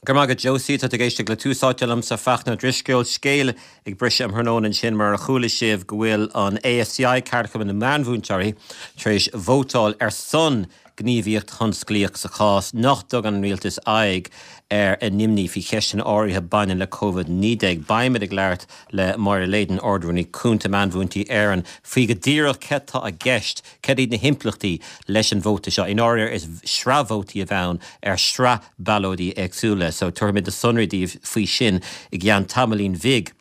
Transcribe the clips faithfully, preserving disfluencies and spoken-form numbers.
Go maith Josie tá ag éisteacht le Tús Áite liomsa Fachtna Ó Drisceoil scéal ag briseadh um thráthnóna ansin mar a chuala sibh go bhfuil an ASCI Ceardchumann na Meánmhúinteoirí tar éis vótáil ar son gníomhaíocht thionsclaíoch sa chás nach dtugann an rialtas aghaidh ar a n-imní faoi cheisteanna áirithe baineann le Covid naoi déag. Beimid ag labhairt le Máire Leyden Ard-Rúnaí Cúnta Meánmhúinteoirí Éireann faoi go díreach céard atá i gceist cad iad na himpleachtaí leis an vóta seo. In áir is sraith vótaí a bheidh ann ar sraith ballóidí éagsúla, so tabharfaimid na sonraí daoibh faoi sin i gceann tamaillín bhig.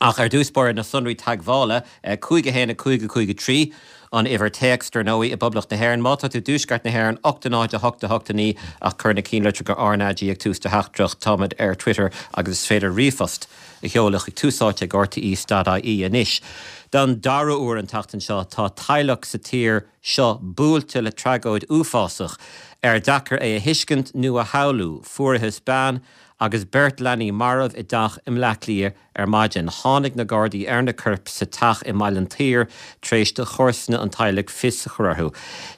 Ach ar dtús báire na sonraí teagmhála cúig a haon a cúig a cúig a trí an uimhir téacs dar ndóigh i bPoblacht na hÉireann. Má tá tú i dtuaisceart na hÉireann ocht a náid a hocht a hocht a naoi ach cuir na ceannlitreacha RnaG ag tús do theachtaireacht táimid ar Twitter agus is féidir ríomhphost a sheoladh chuig túsáite ag RTE dot IE anois. Don dara huair an tseachtain seo tá teaghlach sa tír seo buailte le tragóid uafásach ar deacair é a thuiscint nó a shamhlú. Fuarthas bean agus beirt leanaí marbh i dteach i mBleá Cliath ar maidin. Tháinig na Gardaí ar na coirp sa teach i mBaile an tSaoir tar éis do chomharsana an teaghlaigh fios a chur orthu.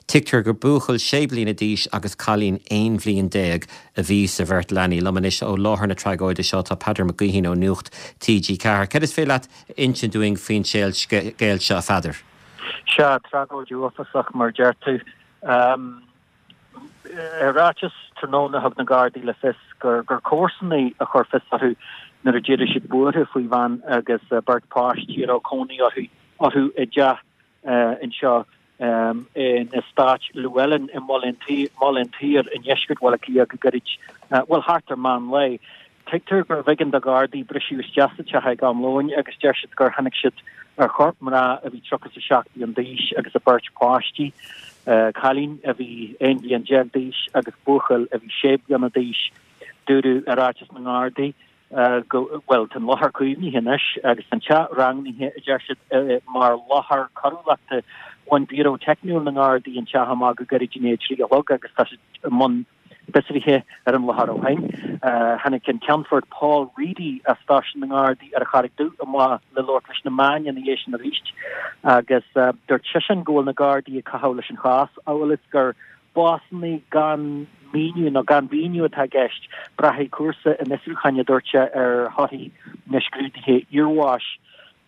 Tuigtear gur buachaill sé bliana d'aois agus cailín aon bhliain déag a bhí sa bheirt leanaí. Liom anois ó láthair na tragóide seo tá Peadar Mac Gaoithín ó Nuacht TG Ceathair. Cad is féidir leat a insint dúinn faoin scéal seo a Pheadair? Sea, tragóid uafásach mar deir tú. I ráiteas tráthnóna thug na Gardaí le fios gur gur comharsanaí a chuir fios orthu nuair a d'éirigh siad buartha faoi bhean agus beirt páistí a raibh cónaí orthu orthu i dteach anseo in eastát Llewellyn i mBaile an tSaoir i ndeisceart Bhaile Átha Cliath go gairid, bhuel thart ar meán lae. Tuigtear gurbh éigean do Ghardaí briseadh isteach sa teach ag am lóin agus deir siad gur tháinig siad ar chorp mná a bhí tríocha is a seacht bliain d'aois agus a beirt páistí, cailín a bhí aon bhliain déag d'aois agus buachaill a bhí sé bliana d'aois. Dúradh i ráiteas na nGardaí go bhfuil an láthair caomhnaithe anois agus an teach rangaithe, a deir siad, mar láthair coiriúlachta. Bhain Biúró Teicniúil na nGardaí an teach amach go gairid i ndiaidh a trí a chlog agus tá siad i mbun fiosruithe ar an láthair ó shin. Tháinig an Ceannfort Paul Reidy as stáisiún na nGardaí ar an Charraig Dhubh amach le labhairt leis na meáin ina dhiaidh sin arís agus dúirt seisean go bhfuil na Gardaí ag caitheamh leis an chás amhail is gur básanna gan míniú nó gan mhíniú atá i gceist. Braithfidh cúrsa an fhiosrúcháin, a dúirt sé, ar thorthaí na scrúduithe iarbháis.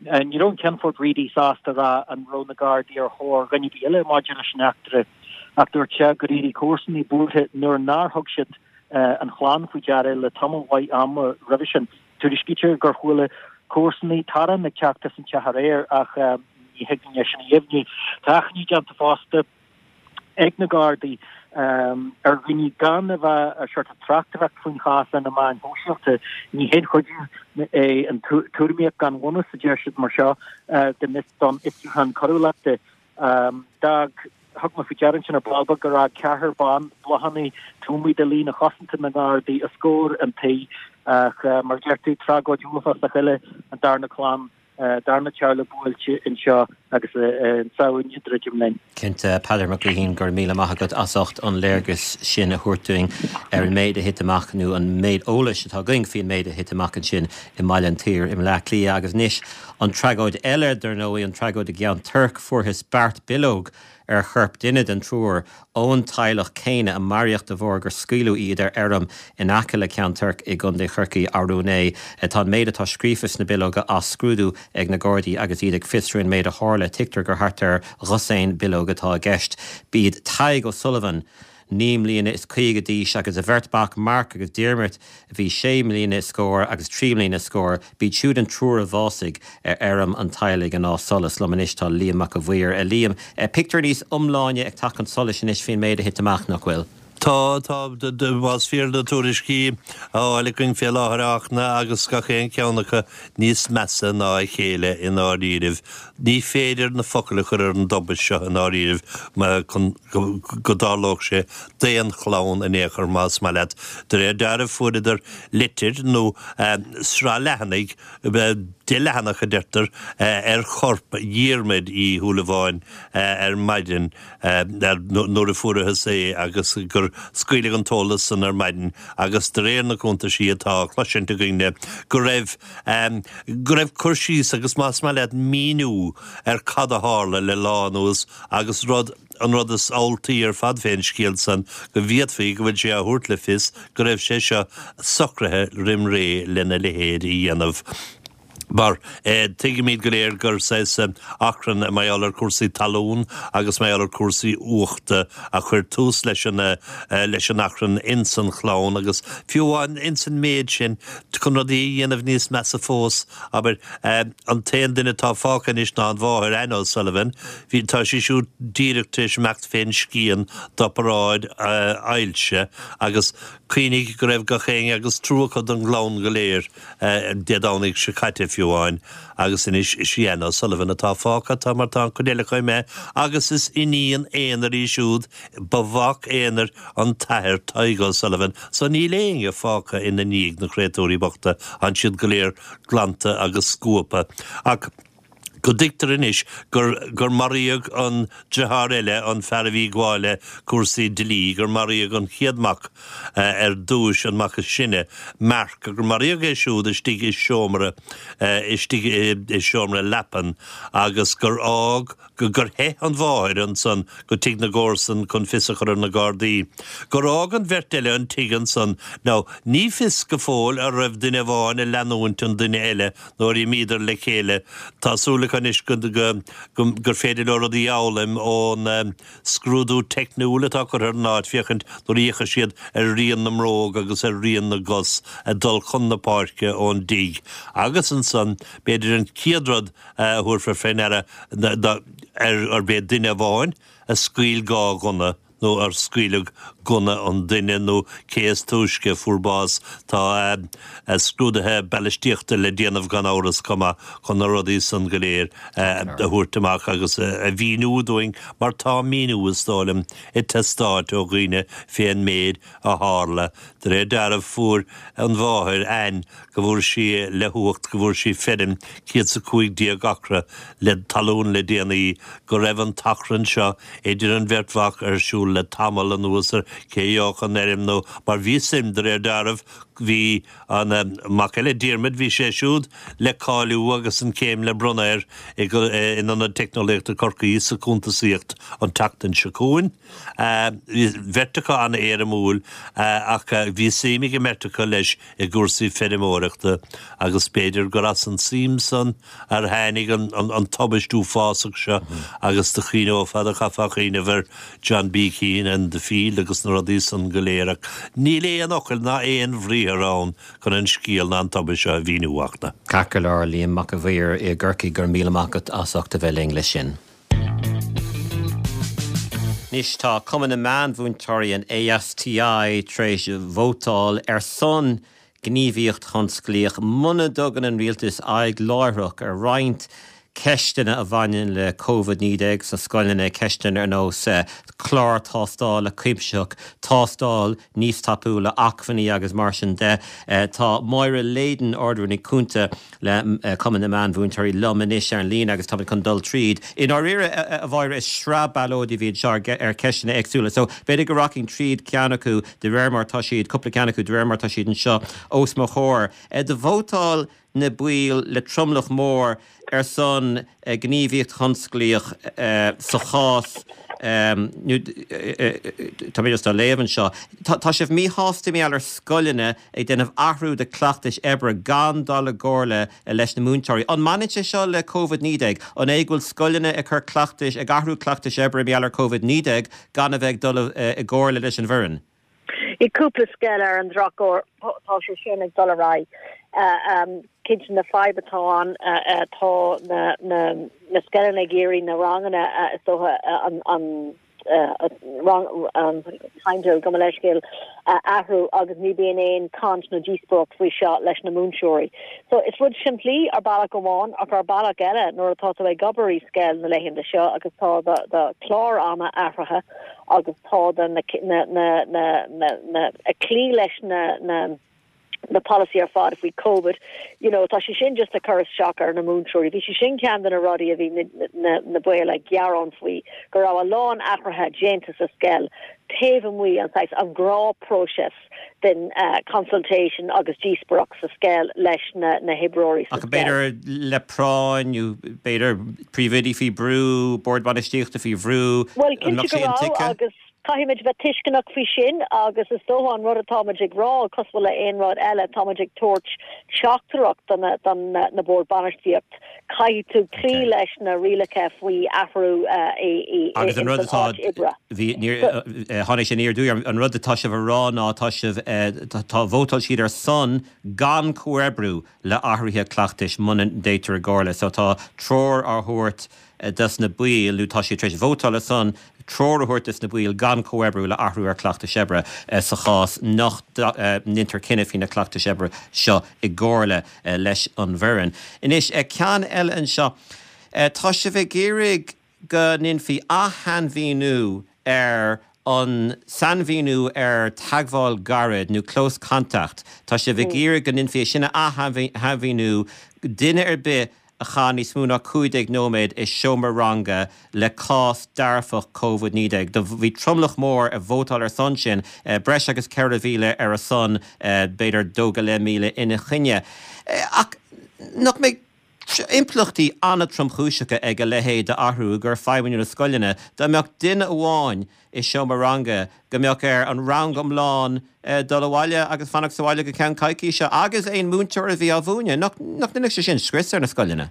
Ní raibh an Ceannfort Reidy sásta a rá an raibh na Gardaí ar thóir dhuine ar bith eile maidir leis an eachtra ach dúirt sé gur éirigh comharsanaí buartha nuair nár thug siad an chlann faoi deara le tamall mhaith ama roimhe sin. Tuairiscítear gur chuala comharsanaí torann ag teacht as an teach aréir ach ní thig linn é sin a dheimhniú. Tá achainí déanta fosta ag na Gardaí ar dhaoine gan a bheith ag sort of tráchtaireacht faoin chás ar na meáin shóisialta. Ní haon chuidiú é an tuairimíocht gan bhunús, a deir siad mar seo, don fhiosrúchán coiriúlachta. D'fhág Thug mé faoi deara ansin ar ball beag gur fhág ceathrar ban bláthanna taobh amuigh de líne chosanta na nGardaí os comhair an tí ach mar a deir tú, tragóid uafásach eile an darna clann darna teaghlach buailte anseo agus an tSamhain ag druidim linn. Cinnte, Peadar Mac Gaoithín, go raibh míle maith agat as ucht an léargas sin a thabhairt dúinn ar an méid a thit amach, nó an méid eolais atá againn faoin méid a thit amach ansin i mBaile an tSaoir i mBleá Cliath. Agus anois an tragóid eile, dar ndóigh, an tragóid i gCeann Toirc. Fuarthas beart bileog ar chorp duine den triúr ón teaghlach céanna a maraíodh de bharr gur scaoileadh iad ar fheirm in aice le Ceann Toirc i gContae Chorcaí arú inné. Tá an méid atá scríofa sna bileoga á scrúdú ag na Gardaí agus iad ag fiosrú an méid a tharla. Tuigtear gur thart ar dhosaen bileog atá i gceist. B'iad Tadhg O'Sullivan, naoi mbliana is caoga d'aois, agus a bheirt mhac, Mark agus Diarmuid, a bhí sé mbliana is scór agus trí mbliana is scór. B'iad siúd an triúr a bhásaigh ar fheirm an teaghlaigh in Áth Solais. Liom anois tá Liam Mac a' Mhaoir. A Liam, pictiúr níos iomláine ag teacht chun solais anois faoin méid a thit amach, nach bhfuil? Tá, tá, más fíor na tuairiscí á fháil againn fé láthair a Fhachtna agus gach aon cheann acu níos measa ná a chéile i ndáiríribh. Ní féidir na focail a chur ar an dtubaist seo i ndáiríribh chun go dtarlódh sé d'aon chlann in aon chor más maith leat. De réir dealraimh fuaireadar litir nó sraith leathanaigh deich leathanach a deirtear ar chorp Dhiarmuid Uí Shúilleabháin ar maidin nuair a fuarathas é agus gur scaoileadh an t-eolas san ar maidin agus de réir na cuntaisí atá á chloisint againne go raibh go raibh cur síos agus más maith leat míniú ar cad a tharla le lá anuas agus rud an rud is amhaltaí ar fad fén scéal san go bhféadfaí go bhfuil sé á thabhairt le fios go raibh sé seo socraithe roim ré lena leithéid a dhéanamh. Mar tuigimid go léir gur saghas achrann mar gheall ar cúrsaí talún agus mar gheall ar cúrsaí uachta a chuir tús leis an leis an achrann ins an chlann agus fiú amháin ins an méid sin chun rudaí a dhéanamh níos measa fós, abair, an t-aon duine atá fágtha anois ná an mháthair, Anne O'Sullivan. Bhí, tá sí siúd díreach tar éis imeacht fén scian d'oparáid ailse agus cuimhnigh go raibh gach éinne agus trua acu don gclann go léir Dé Domhnaigh seo caite fiú amháin agus anois is í Anne O'Sullivan atá fágtha, tá mar tá an chuid eile acu imithe agus is iníon aonair í siúd, ba mhac aonair an t-athair Tadhg O'Sullivan so níl éinne fágtha ina ndiaidh, na créatúirí bochta, tánn siad go léir glanta agus scuabtha. Ach go dtuigtear anois gur gur maraíodh an deartháir eile, an fear a bhí ag gabháil le cúrsaí dlí, gur maraíodh an chéad mac ar dtúis, an mac is sine, Mark, gur maraíodh é siúd istigh i seomra istigh i seomra leapan agus gur fhág gur theith an mháthair ansan go tigh na gcomharsan chun fios a chur ar na Gardaí. Gur fhág an bheirt eile an tigh ansan. Now, ní fios go fóill an raibh duine amháin ag leanúint an duine eile nuair a imíodar le chéile. Tá súil acu anois go gur féidir leo rudaí a fhoghlaim ón scrúdú teicniúil atá curtha ar an áit féachaint nuair a fhéachfaidh siad ar rian na mbróg agus ar rian na gcos ag dul chun na páirce ón dtigh. Agus ansan, b'fhéidir an chéad rud a thabharfar fé ndeara ná arb é duine amháin a scaoil dhá ghunna nó ar scaoileadh gunna an duine nó cé is túisce a fuair bás. Tá scrúduithe balaistíochta le déanamh gan amhras chomh maith chun na rudaí san go léir a thabhairt amach agus a mhíniú dúinn mar tá míniú, is dóigh liom, ag teastáilt ó dhaoine fén méid a tharla. De réir dealraimh fuair an mháthair, Anne, go bhfuair sí le huacht, go bhfuair sí feirm céad 's a cúig déag acra le talún le déanaí, go raibh an t-achrann seo idir an bheirt mhac ar siúl le tamall anuas ar cé a gheobhadh an fheirm nó mar bhí suim, de réir dealraimh, bhí an mac eile, Diarmuid, bhí sé siúd le cáiliú agus an chéim le bronnadh air in Ionad Teicneolaíochta Chorcaí sa chuntasaíocht an tseachtain seo chugainn. Bhí beirt acu an-éirimiúil ach bhí suim ag an mbeirt acu leis i gcúrsaí feirmeoireachta agus b'fhéidir gur as an tsuim san ar tháinig an tubaist uafásach seo agus do chuimhneofá, do chaithfeá cuimhneamh ar John B. Keane and the field agus na rudaí san go léir ach níl aon fhocal ná aon bhriathar ann chun an scéal ná an tubaist seo a mhíniú a Fhachtna. Ceart go leor, Liam Mac a' Mhaoir i gCorcaigh, go raibh míle maith agat as ucht a bheith linn leis sin. Anois tá Cumann na Meánmhúinteoirí, an ASTI, tar éis vótáil ar son gníomhaíocht thionsclaíoch muna dtugann an rialtas aghaidh láithreach ar roinnt ceisteanna a bhaineann le Covid naoi déag sna scoileanna, ceisteanna ar nós clár tástála cuimsitheach, tástáil níos tapúla, acmhainní agus mar sin de. Tá Máire Leyden, Ard-Rúnaí Cúnta le Cumann na Meánmhúinteoirí liom anois ar an líne agus táimid chun dul tríd. I ndáiríre, a Mháire, is sraith ballóidí a bhí anseo ar cheisteanna éagsúla so b'fhéidir go rachainn tríd ceann acu de réir mar atá siad, cúpla ceann acu de réir mar atá siad anseo os mo chomhair. Do vótáil na baill le tromlach mór ar son gníomhaíocht thionsclaíoch sa chás nó tá mé just á léamh anseo. Tá sibh míshásta mar gheall ar scoileanna ag déanamh athrú de chleachtais oibre gan dul i gcomhairle leis na múinteoirí. An mbaineann sé seo le Covid naoi déag? An é go bhfuil scoileanna ag cur cleachtais, ag athrú cleachtais oibre mar gheall ar Covid naoi déag gan a bheith ag dul i gcomhairle leis an bhfoireann? I gcúpla scoil ar an drochuair tá sé sin ag dul ar aghaidh. Cinnte na fadhb atá ann tá na na na scoileanna ag iarraidh na ranganna is dócha an an rang an timetable gabh mo leithscéal a athrú agus ní bíonn aon caint nó díospóireacht faoi seo leis na múinteoirí. So is rud simplí ar bealach amháin ach ar bealach eile nuair atá tú ag obair i scoil na laethanta seo agus tá do do chlár ama athraithe agus tá do na na na na na na ag cloí leis na na na policy ar fad faoi COVID, you know, tá sé sin just ag cur isteach ar na múinteoirí. Bhí sé sin ceann de na rudaí a bhí na, na, na baill ag gearán faoi go raibh a lán athruithe déanta sa scoil taobh amuigh an saghas an gnáthphróiseas den uh, consultation agus díospóireacht sa scoil leis na, na hoibreoirí Ach b'fhéidir le práinn nó b'fhéidir príomhoidí faoi bhrú, bord bainistíochta faoi bhrú Well cinnte go raibh agus caithfimid bheith tuisceanach faoi sin agus is dócha an rud atáimid ag rá cosúil le aon rud eile táimid ag tabhairt teachtaireacht don don na bord bainistíocht caithfidh tú cloí leis na rialacha faoi athrú agus an rud atá bhí tháinig sé níor dúir an rud atá sibh a rá ná tá sibh tá vótáil siad ar son gan comhoibriú le athruithe cleachtais muna dtéitear i gcomhairle, so tá treoir á thabhairt dos na baill nó tá siad tar éis vótáil ar son treoir a thabhairt dos na baill gan comhoibriú le athrú ar chleachtais oibre sa chás nach ndéantar cinneadh faoi na cleachtais oibre seo i gcomhairle leis an bhfoireann. Anois ceann eile anseo tá sibh ag iarraidh go ndéanfaí athshainmhíniú ar an sainmhíniú ar teagmháil gairid nó close contact. Tá sibh ag iarraidh go ndéanfaí sin a athshainmhíniú duine ar bith a chaith níos mó ná cúig déag nóiméad i seomra ranga le cás dearfach Covid naoi déag. Do bhí tromlach mór a vótáil ar son sin, breis agus ceithre mhíle ar a son, b'fhéidir dó go leith míle ina choinne. Ach nach mbeidh impleachtaí an-tromchúiseacha ag a leithéid d'athrú gur feidhmeanna na scoileanna, dá mbeadh duine amháin i seomra ranga go mbeadh ar an rang iomlán dul abhaile agus fanacht sa bhaile go ceann coicíse agus aon múinteoir a bhí á mhúineadh. Nach ndéanfadh sé sin scrios ar na scoileanna?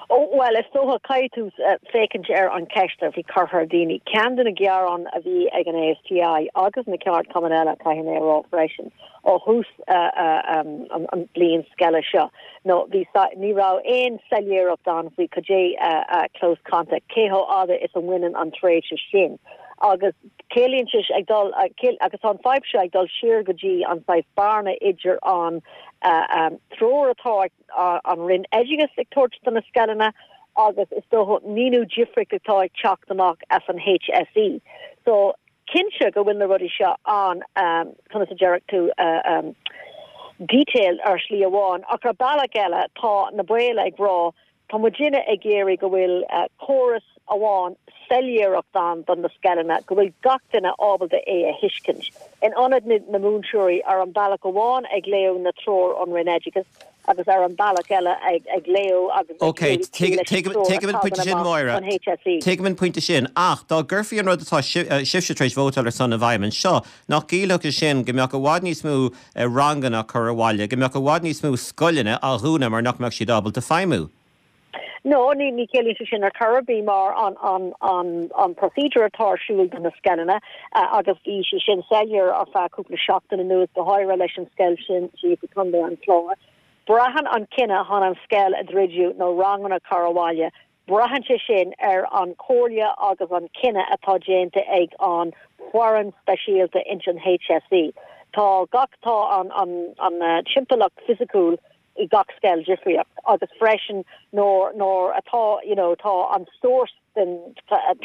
Ó bhuel, is dócha caithfidh tú féachaint ar an cheist a bhí curtha ar daoine. Ceann de na gearáin a bhí ag an ASTI agus na ceardchumainn eile, caithfidh mé a rá freisin, ó thús an bliain scoile seo, nó bhí ní raibh aon soiléireacht ann faoi cad é close contact, cé chomh fhada is a bhaineann an tréimhse sin. Agus ciallaíonn sé ag dul agus tá an fadhb seo ag dul siar go dtí an saghas bearna idir an treoir atá an Roinn Oideachais ag tabhairt do na scoileanna agus is dócha míniú difriúil atá ag teacht amach as an HSE. So cinnte go bhfuil na rudaí seo an conas a déarfadh tú detailed ar shlí amháin ach ar bealach eile tá na baill ag rá tá muidinne ag iarraidh go bhfuil córas amháin soiléireacht ann don na scoileanna go bhfuil gach duine ábalta é a thuiscint. In ionad na múinteoirí ar an bealach amháin ag léamh na treoir ón Roinn Oideachais agus ar an bealach eile ag ag léamh agus Ok, tuigim an pointe sin Máire. Tuigim an pointe sin ach dá gcuirfí an rud atá sibhse tar éis vótáil ar son i bhfeidhm anseo, nach gciallódh sé sin go mbeadh i bhfad níos mó ranganna curtha abhaile, go mbeadh i bhfad níos mó scoileanna á dhúnadh mar nach mbeadh siad ábalta feidhmiú? No, ní ní ciallaíonn sé sin ar chor ar bith mar an an an an procedure atá ar siúl do na scoileanna agus bhí sé sin soiléir ar feadh cúpla seachtain anuas go háirithe leis an scoil sin sí i Contae an Chláir. Braitheann an cinneadh chun an scoil a dhruidiú nó ranganna a chur abhaile, braitheann sé sin ar an comhairle agus an cinneadh atá déanta ag an foireann speisialta ins an HSE. Tá gach tá an an an timpeallacht fisiciúil i gach scoil difríocht agus freisin nuair nuair atá you know tá an source den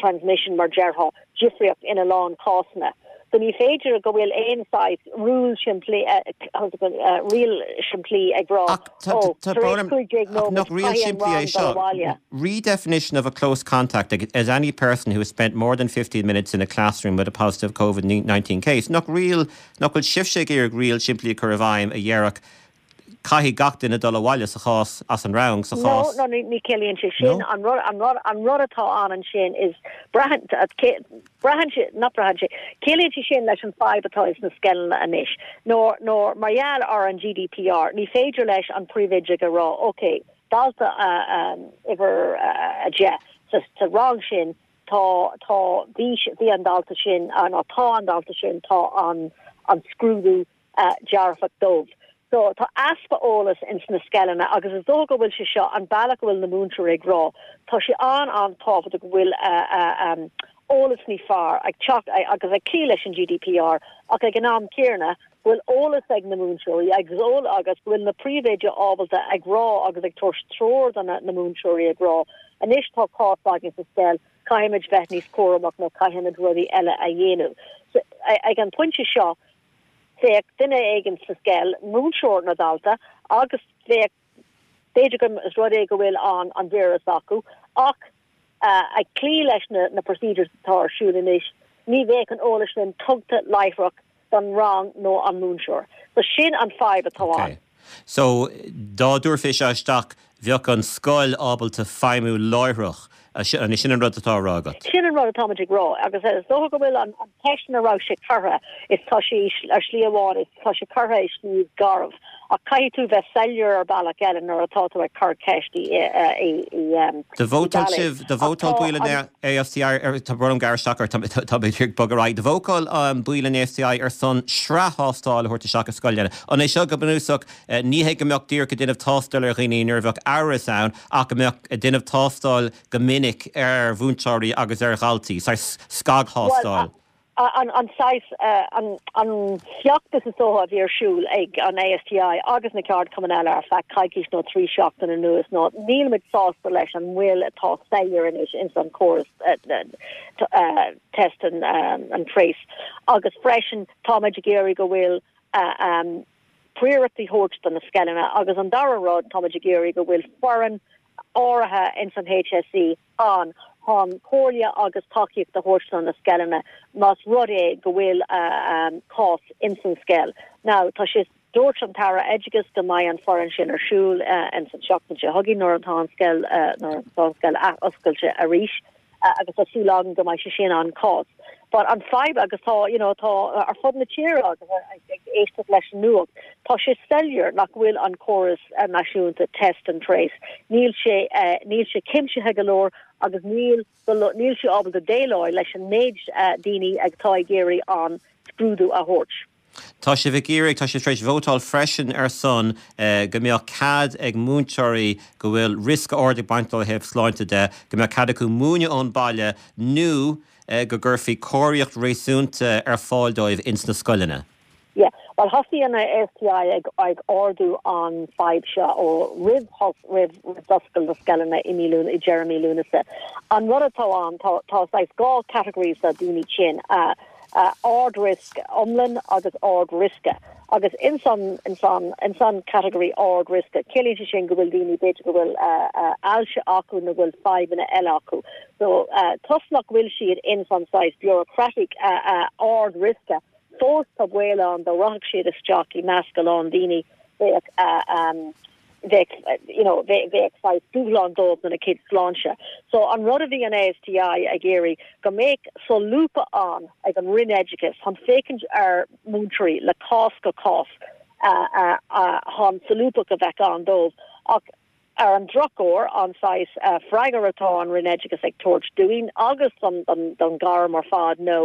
transmission mar déarfá difríocht ina lán cásanna. So ní féidir go bhfuil aon saghas rule simplí riail simplí ag rá ó tar éis cúig déag nóiméad Nach riail simplí é seo? Redefinition of a close contact as any person who has spent more than fifteen minutes in a classroom with a positive Covid nineteen case. Nach riail nach bhfuil sibhse ag iarraidh riail simplí a chur i bhfeidhm a dhéarfadh Caithfidh gach duine dul abhaile sa chás as an rang sa chás. No, no, ní ciallaíonn sé sin. An rud, an rud, an rud atá ann ansin is braitheann, braitheann sé, not braitheann sé, ciallaíonn sé sin leis an fadhb atá sna scoileanna anois. Nó, nó mar gheall ar an GDPR, ní féidir leis an príomhoide a rá, ok, dalta uimhir a deich sa, sa rang sin, tá, tá, bhí, bhí an dalta sin, nó tá an dalta sin, tá an, an scrúdú dearfach dóibh. So tá easpa eolas ins na scoileanna agus is dócha go bhfuil sé seo an bealach go bhfuil na múinteoirí ag rá tá sé an-an-tábhachtach go bhfuil eolas níos fearr ag teacht agus ag cloí leis an GDPR ach ag an am céanna go bhfuil eolas ag na múinteoirí agus eol agus go bhfuil na príomhoidí ábalta ag rá agus ag tabhairt treoir do na múinteoirí ag rá anois tá cás againn sa scoil caithfimid bheith níos cúramach nó caithfimid rudaí eile a dhéanamh. So ag an pointe seo Bheadh duine éigin sa scoil, múinteoir nó dalta, agus bheadh b'fhéidir go is rud é go bhfuil an an víreas acu, ach ag cloí leis na na procedures atá ar siúl anois, ní bheadh an eolas sin tugtha láithreach don rang nó an múinteoir. So sin an fadhb atá ann. Okay. So dá dtabharfaí seo isteach bheadh an scoil ábalta feidhmiú láithreach. An é sin an rud atá á rá agat? Sin an rud atáimid ag rá agus is dócha go bhfuil an cheist ina raibh sé curtha is tá sé ar shlí amháin is tá sé curtha i slí garbh ach caithfidh tú bheith soiléir ar bealach eile nuair atá tú ag cur ceist i i Do vótáil sibh, do vótáil baill an AFCI ar tá brón orm gearradh isteach ort tá mé ag bogadh ar aghaidh. Do vótáil baill an AFCI ar son sraith thástáil a thabhairt isteach i scoileanna. An é seo go bunúsach ní hé go mbeadh díreach ag déanamh tástáil ar dhaoine nuair a bheadh amhras ann ach go mbeadh ag déanamh tástáil go minic ar mhúinteoirí agus ar dhaltaí, saghas scagthástáil. An an saghas an an feachtas is dócha a bhí ar siúl ag an ASTI agus na ceardchumainn eile ar feadh coicís nó trí seachtaine anuas ná nílimid sásta leis an mhoill atá soiléir anois ins an córas test and, and trace. Agus freisin táimid ag iarraidh go bhfuil priority thabhairt do na scoileanna agus an dara rud táimid ag iarraidh go bhfuil foireann áirithe ins an HSE an chun comhairle agus tacaíocht a thabhairt do na scoileanna más rud é go bhfuil cás ins an scoil. Now tá sé dúirt an tAire Oideachais go mbeidh an foireann sin ar siúl ins an seachtain seo chugainn nuair atá an scoil nuair atá an scoil athoscailte arís agus tá súil againn go mbeidh sé sin an cás. But an fadhb agus tá you know, tá ar fud na tíre agus ag éisteacht leis an nuacht, tá sé soiléir nach bhfuil an córas náisiúnta test and trace. Níl sé uh, níl sé cuimsitheach go leor agus níl níl sé ábalta déileáil leis an méid uh, daoine atá ag iarraidh an scrúdú a thabhairt. Tá sibh ag iarraidh tá sibh tar éis vótáil freisin ar son uh, go mbeadh cead ag múinteoirí go bhfuil riosca ard ag baint ó thaobh sláinte de, go mbeadh cead acu múineadh ón baile nó uh, go gcuirfí cóiríocht réasúnta ar fáil dóibh ins na scoileanna. Yeah, well thosaigh an ASTI ag ag ardú an fadhb seo ó roimh roimh d'oscail na scoileanna i mí i deireadh mí Lúnasa. An rud atá ann tá tá dhá categories de daoine sin uh, uh, ard-risk iomlán agus ard-riosca. Agus in san in san in san category ard-riosca, ciallaíonn sé sin go bhfuil daoine b'fhéidir go bhfuil uh, uh, ailse acu nó bhfuil fadhbanna eile acu. So uh, toisc nach bhfuil siad in san saghas bureaucratic uh, uh, ard-riosca, fós tá baol ann dá rachadh siad isteach i measc a lán daoine bheadh uh, um, bheadh you know bheadh saghas dúshlán dóibh na cid sláinte. So an rud a bhí an ASTI ag iarraidh go mbeadh solúbtha ann ag an Roinn Oideachais chun féachaint ar múinteoirí le cás go cás uh, uh, uh, chun solúbtha a bheith ann dóibh ach ar an drochuair an saghas uh, freagra atá an Roinn Oideachais ag tabhairt dúinn agus don, don, don ghairm ar fad nó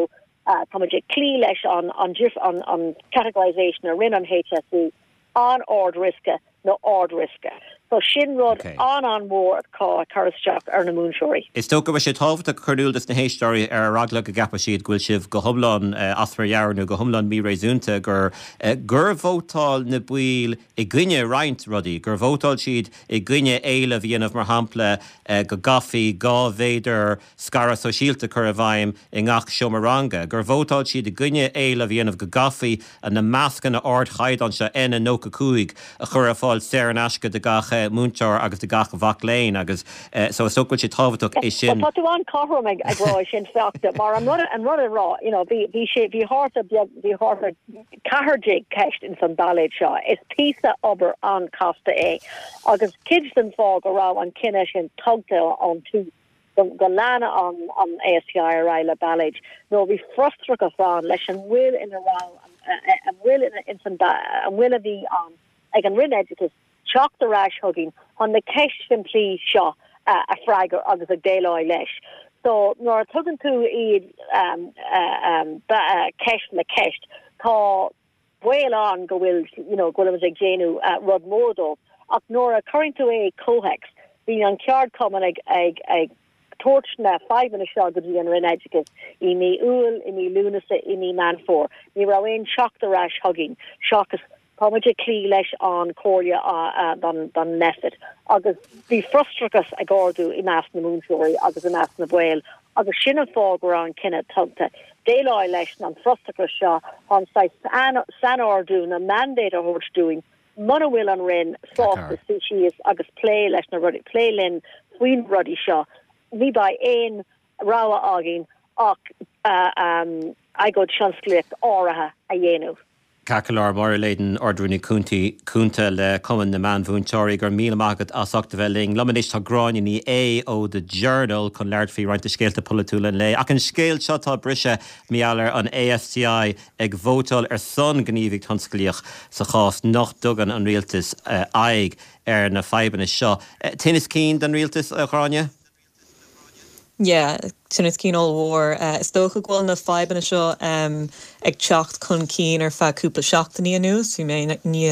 uh, tá ag cloí leis an an, an, an categorization a rinne an HSE an ard-riosca nó ard-riosca. So sin rud okay. an an-mhór atá ag cur isteach ar na múinteoirí. Is dócha go bhfuil sé tábhachtach cur in iúl dos na héisteoirí ar eagla go gceapfadh siad go bhfuil sibh go hiomlán uh, as bhur meabhair nó go hiomlán míréasúnta gur uh, gur vótáil na baill i gcoinne roinnt rudaí, gur vótáil siad i gcoinne éileamh a dhéanamh mar shampla uh, go gcaithfí dhá mhéadar scaradh sóisialta chur i bhfeidhm i ngach seomra ranga, gur vótáil siad i gcoinne éileamh a dhéanamh go gcaithfí na mascanna ardchaighdeáin seo N nócha cúig a chur ar fáil saor in aisce do gach múinteoir agus do gach mhac léinn agus so is dócha sé tábhachtach é sin. Tá tú an-chothrom ag ag rá sin feachta mar an rud an rud a rá you know bhí bhí sé bhí thart beag bhí thart ceathair déag ceist in san ballóid seo is píosa obair an-chasta é agus cuid den fáth go raibh an cinneadh sin tugtha an tú go, go leanfadh an an ASTI ar aghaidh le ballóid nó bhí frustrachas ann leis an bhfuil ina raibh an bhfuil ina in san an bhfuil a bhí an ag an Roinn Oideachais teacht ar ais chugainn chun na ceist simplí seo uh, a fhreagairt agus ag déileáil leis. So nuair a tugann tú iad um, uh, um, uh, ceist le ceist tá baol ann go bhfuil you know, go bhfuil ag déanamh uh, rud mór dó ach nuair a chuireann tú é comhthéacs bhí an ceardchumann ag ag ag tabhairt na fadhbanna seo go dtí an Roinn Oideachais i mí Iúil i mí Lúnasa i mí Meán Fómhair. Ní raibh aon teacht ar ais chugainn seachas táimid ag cloí leis an chomhairle don don Nphet. agus bhí frustrachas ag ardú i measc na múinteoirí agus i measc na baill Agus sin an fáth go raibh an cinneadh tugtha. Déileáil leis an frustrachas seo an sainordú na mandate a thabhairt dúinn mura bhfuil an Roinn sásta suí síos agus plé leis na rudaí plé linn faoin rudaí seo. Ní bheidh aon rogha againn ach uh, um, agóid thionsclaíoch áirithe a dhéanamh. Ceart go leor Máire Leyden Ard-Rúnaí Cúnta le Cumann na Meánmhúinteoirí go raibh míle maith agat as ucht a bheith linn. Liom anois tá Gráinne Ní Aodha ó The Journal chun labhairt faoi roinnt scéalta polaitiúla an lae. Ach an scéal seo tá briseadh mar gheall ar an AFCI ag vótáil ar son gníomhaíocht thionsclaíoch sa chás nach dtugann an rialtas uh, aghaidh ar na fadhbanna seo. Uh, Tinneas cinn don rialtas a Ghráinne? Yeah, tinneas cinn ollmhór. Uh, is dócha go bhfuil na fadhbanna seo um, ag teacht chun cinn ar feadh cúpla seachtainí anuas, bhí mé ní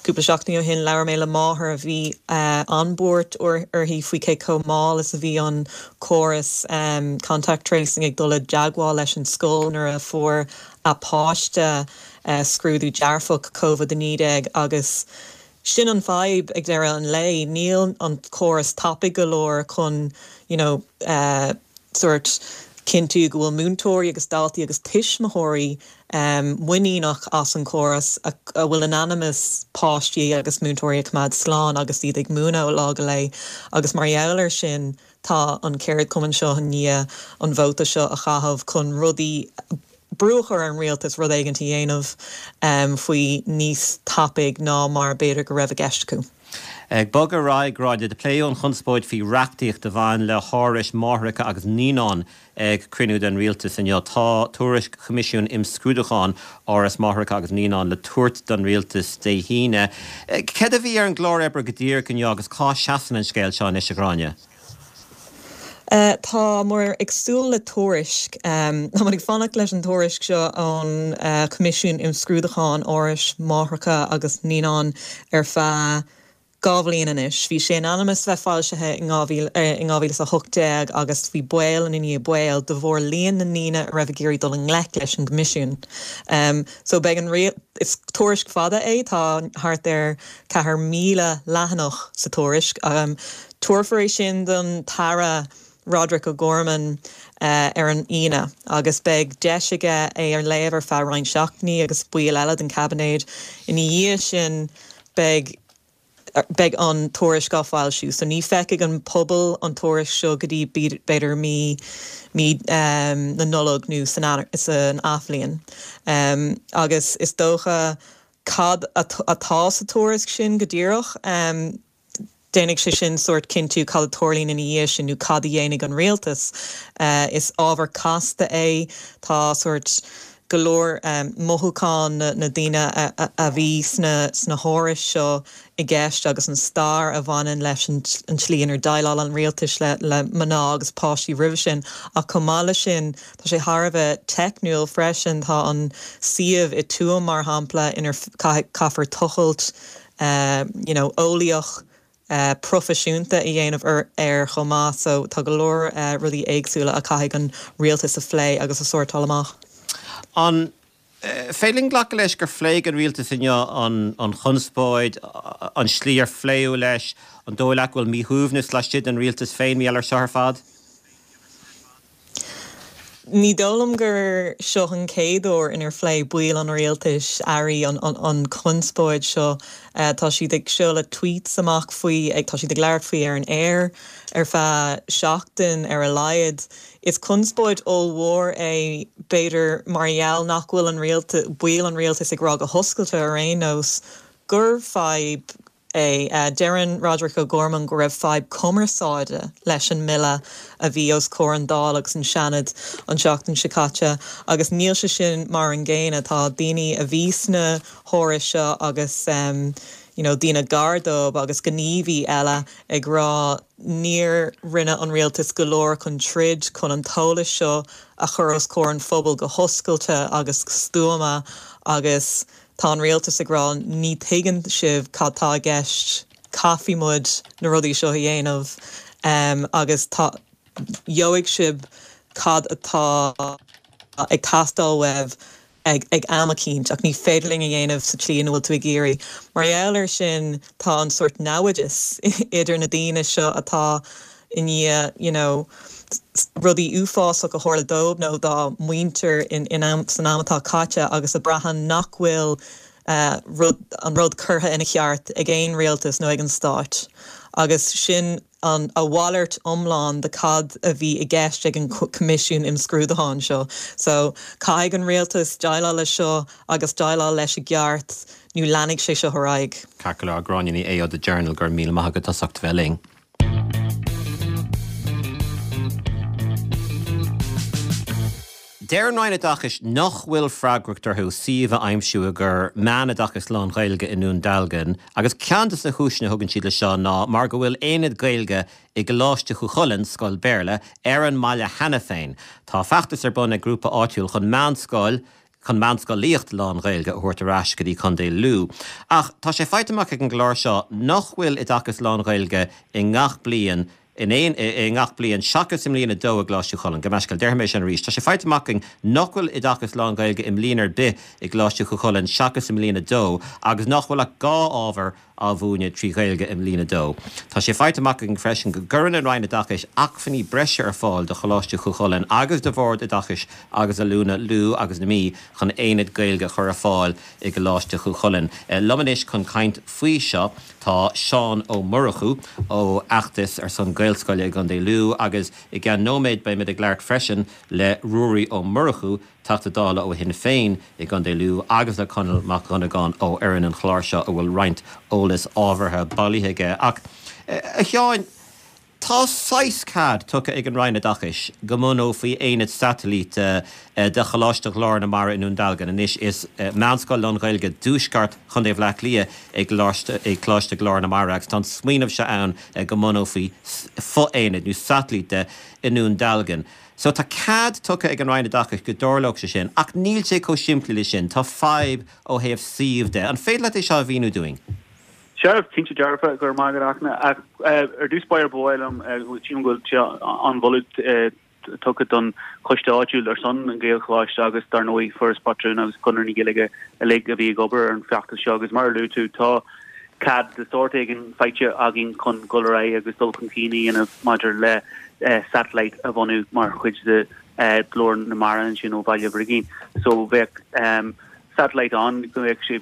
cúpla seachtainí ó shin labhair mé le máthair a bhí uh, an-bhuartha uirthi faoi cé chomh mall is a bhí an córas um, contact tracing ag dul i dteagmháil leis an scoil nuair a fuair a páiste uh, scrúdú dearfach COVID a naoi déag agus sin an fadhb ag deireadh an lae níl an córas tapaidh go leor chun you know, uh, sort cinntiú go bhfuil múinteoirí agus daltaí agus tuismitheoirí um, muiníneach as an córas a, a bhfuil in ainm is páistí agus múinteoirí a choimeád slán agus iad ag múineadh lá go lá agus mar gheall air sin tá an ceardchumann seo i ndiaidh an vóta seo a chaitheamh chun rudaí brú a chur ar an rialtas rud éigin a dhéanamh um, faoi níos tapaidh ná mar b'fhéidir go raibh i gceist acu. Ag bogadh ar aghaidh Gráinne do pléadh an chonspóid faoi reachtaíocht a bhain le hárais máithreacha agus naíonán ag cruinniú den rialtas inniu tá tuairisc Choimisiún Imscrúdúcháin Áras Máithreacha agus Naíonán le tabhairt don rialtas Dé hAoine. Cad a bhí ar an gclár oibre go díreach inniu agus cá seasann an scéal seo anois a Ghráinne. Uh, tá muid ag súil le tuairisc um, Tá ag fanacht leis an tuairisc seo an uh, Coimisiún Imscrúdúcháin Árais Máithreacha agus Naíonán ar feadh dhá bhliain anois. Bhí sé in ainm is bheith foilsithe in dhá mhíle a hocht déag agus bhí baol in ní bail de bharr líon na ndaoine a raibh ag iarraidh dul i ngleic leis an gCoimisiún. Um, so beidh an is tuairisc fada é tá thart ar ceathair míle leathanach sa tuairisc. Um, Tabharfar é sin don tAire Roderick O'Gorman uh, ar an Aoine agus beidh deis aige é a léamh ar feadh roinnt seachtainí agus baill eile den caibinéad. Ina dhiaidh sin beidh beidh an tuairisc á foilsiú, so ní feicfidh an pobal an tuairisc seo go dtí b'fhéidir mí mí um, na Nollag nó san san athbhliain. Um, agus is dócha cad atá sa tuairisc sin go díreach. Um, Déanfaidh sé sin sort cinntiú cad a tharlaíonn ina dhiaidh sin nó cad a dhéanfaidh an rialtas. Uh, is ábhar casta é tá sort go leor um, mothúchán na, na daoine a, a, a bhí sna, sna hárais seo i gceist agus an stair a bhaineann leis an, an tslí inar dhéileáil an rialtas le, le mná agus páistí roimhe sin ach chomh maith leis sin tá sé thar a bheith teicniúil freisin tá an suíomh i Tuaim mar shampla inar caithfear tochailt uh, you know, eolaíoch uh, proifisiúnta a dhéanamh ar ar chomh maith so tá go leor uh, rudaí éagsúla a chaithfidh an rialtas a phlé agus a shórtáil amach. An féidir linn glacadh leis gur phléigh an rialtas inniu an an chonspóid an slí ar pléadh leis an dóigh leat go bhfuil míshuaimhneas laistigh den rialtas féin mí ar seo ar fad? Ní dóigh liom gur seo an chéad uair inar phléigh baill an rialtais airí an, an, an chonspóid seo uh, tá siad ag seoladh tweets amach faoi ag tá siad ag labhairt faoi ar an air ar feadh seachtain ar a laghad. Is conspóid ollmhór é b'fhéidir mar gheall nach bhfuil an rialtas baill an rialtas ag rá go hoscailte ar aon nós gur fadhb é uh, Deireann Roderick O'Gorman go raibh fadhb cumarsáide leis an mbille a bhí os comhair an Dáil agus an Seanad an seachtain seo caite agus níl sé sin mar an gcéanna tá daoine a bhí sna hárais seo agus um, you know, daoine gar dóibh agus gníomhaí eile ag rá níor rinne an rialtas go leor chun troid chun an t-eolas seo a chur os comhair an phobail go hoscailte agus stuama agus tá an rialtas ag rá ní thuigeann sibh cad tá i gceist caithfidh muid na rudaí seo a dhéanamh um, agus gheobhaidh sibh cad atá ag teastáil uaibh ag, ag am eicínt ach ní féidir linn a dhéanamh sa tslí ina bhfuil tú ag iarraidh. Mar gheall air sin tá an sort namhaideas idir na daoine seo atá i ndiaidh you know, rudaí uafásach a tharla dóibh nó dá muintir in, in am, san am atá caite agus a braitheann nach bhfuil uh, rud, an rud curtha ina cheart ag aon rialtas nó ag an stát. Agus sin an a mhalairt iomlán de cad a bhí i gceist ag an Coimisiún Imscrúdúcháin seo. So caithfidh an rialtas déileáil leis seo agus déileáil leis i gceart nó leanfaidh sé seo ar aghaidh. Ceart go leor Gráinne Ní Aodha The Journal go raibh míle maith agat as ucht bheith linn. Deir an Roinn Oideachais nach bhfuil freagracht orthu suíomh a aimsiú i gcomhair meánoideachas lán-Ghaeilge i nDún Dealgan agus ceann de na cúiseanna a thugann siad le seo ná mar go bhfuil aonad Gaeilge i gColáiste Chú Chulainn, scoil Béarla, ar an mbaile cheana féin. Tá feachtas ar bun ag grúpa áitiúil chun meánscoil chun meánscolaíocht lán-Ghaeilge a thabhairt ar ais go dtí Contae Lú. Ach tá sé faighte amach ag an gclár seo nach bhfuil oideachas lán-Ghaeilge i ngach bliain in aon i ngach bliain seachas i mbliain a dó i gColáiste Chú Chulainn. Gabh mo leithscéal, déarfaidh mé sin arís. Tá sé faighte amach againn nach bhfuil oideachas lán-Ghaeilge i mbliain ar bith i gColáiste Chú Chulainn seachas i mbliain a dó agus nach bhfuil ach dhá ábhar á mhúineadh trí Ghaeilge i mbliain a dó. Tá sé faighte amach againn freisin go gcuireann an Roinn Oideachais acmhainní breise ar fáil do Choláiste Chú Chulainn agus do Bhord Oideachais agus Oiliúna Lú agus na Mí chun aonad Gaeilge a chur ar fáil i gColáiste Chú Chulainn. Liom anois chun caint faoi seo tá Seán Ó Murchú ó Fheachtas ar son Gaelscoile i gContae Lú agus i gceann nóiméad beimid ag labhairt freisin le Ruairí Ó Murchú, Teachta Dála ó Shinn Féin i gContae Lú agus le Conall Mac Dhonnagáin ó fhoireann an chláir seo a bhfuil roinnt eolas ábhartha bailithe aige. Ach, a Sheáin, tá saghas cead tugtha ag an Roinn Oideachais go mbunófaí aonad satailíte de Choláiste Ghlór na Mara i nDún Dealgan. Anois is meánscoil lán-Ghaeilge dtuaisceart Chontae Bhaile Átha Cliath é Coláiste Ghlór na Mara agus tá an smaoineamh seo ann go mbunófaí fo-aonad nó satailít de i nDún Dealgan. So tá cead tugtha ag an Roinn Oideachais go dtarlódh sé sin, ach níl sé chomh simplí le sin. Tá fadhb ó thaobh suímh de. An féidir leat é seo a mhíniú dúinn? Sea, cinnte dearfa, go raibh maith agat a Fhachtna. Ach ar dtús báire ba mhaith liom, sílim go bhfuil sé an-mholadh tugtha don choiste áitiúil ar son an Ghaelcholáiste agus dar ndóigh Foras Pátrúnachta agus Conradh na Gaeilge uilig a bhí ag obair ar an bhfeachtas seo agus mar a luaigh tú tá cead de sórt éigin faighte againn chun dul ar aghaidh agus dul chun cinn a dhéanamh maidir le satellite a bhunú mar chuid de Ghlór na Mara ansin ó Bhaile Brigín. So bheadh satellite ann go mbeadh sé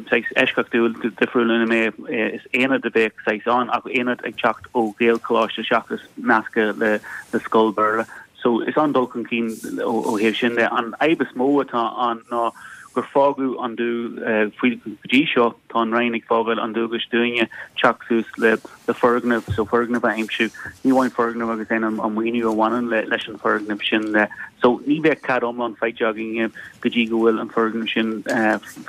saghas eisceachtúil difriúil ina mbeadh is aonad a bheadh saghas ann ach aonad ag teacht ó Ghaelcholáiste seachas nasctha le le scoil Béarla. So is an-dul chun cinn ó thaobh sin de. An fhadhb is mó atá ann ná gur fágadh an dú faoi go dtí seo tá an Roinn ag fágáil an dualgais dúinne teacht suas le le foirgneamh so foirgneamh a aimsiú ní amháin foirgneamh agus an an maoiniú a bhaineann le leis an foirgneamh sin le so ní bheadh cead iomlán faighte againn go dtí go bhfuil an foirgneamh sin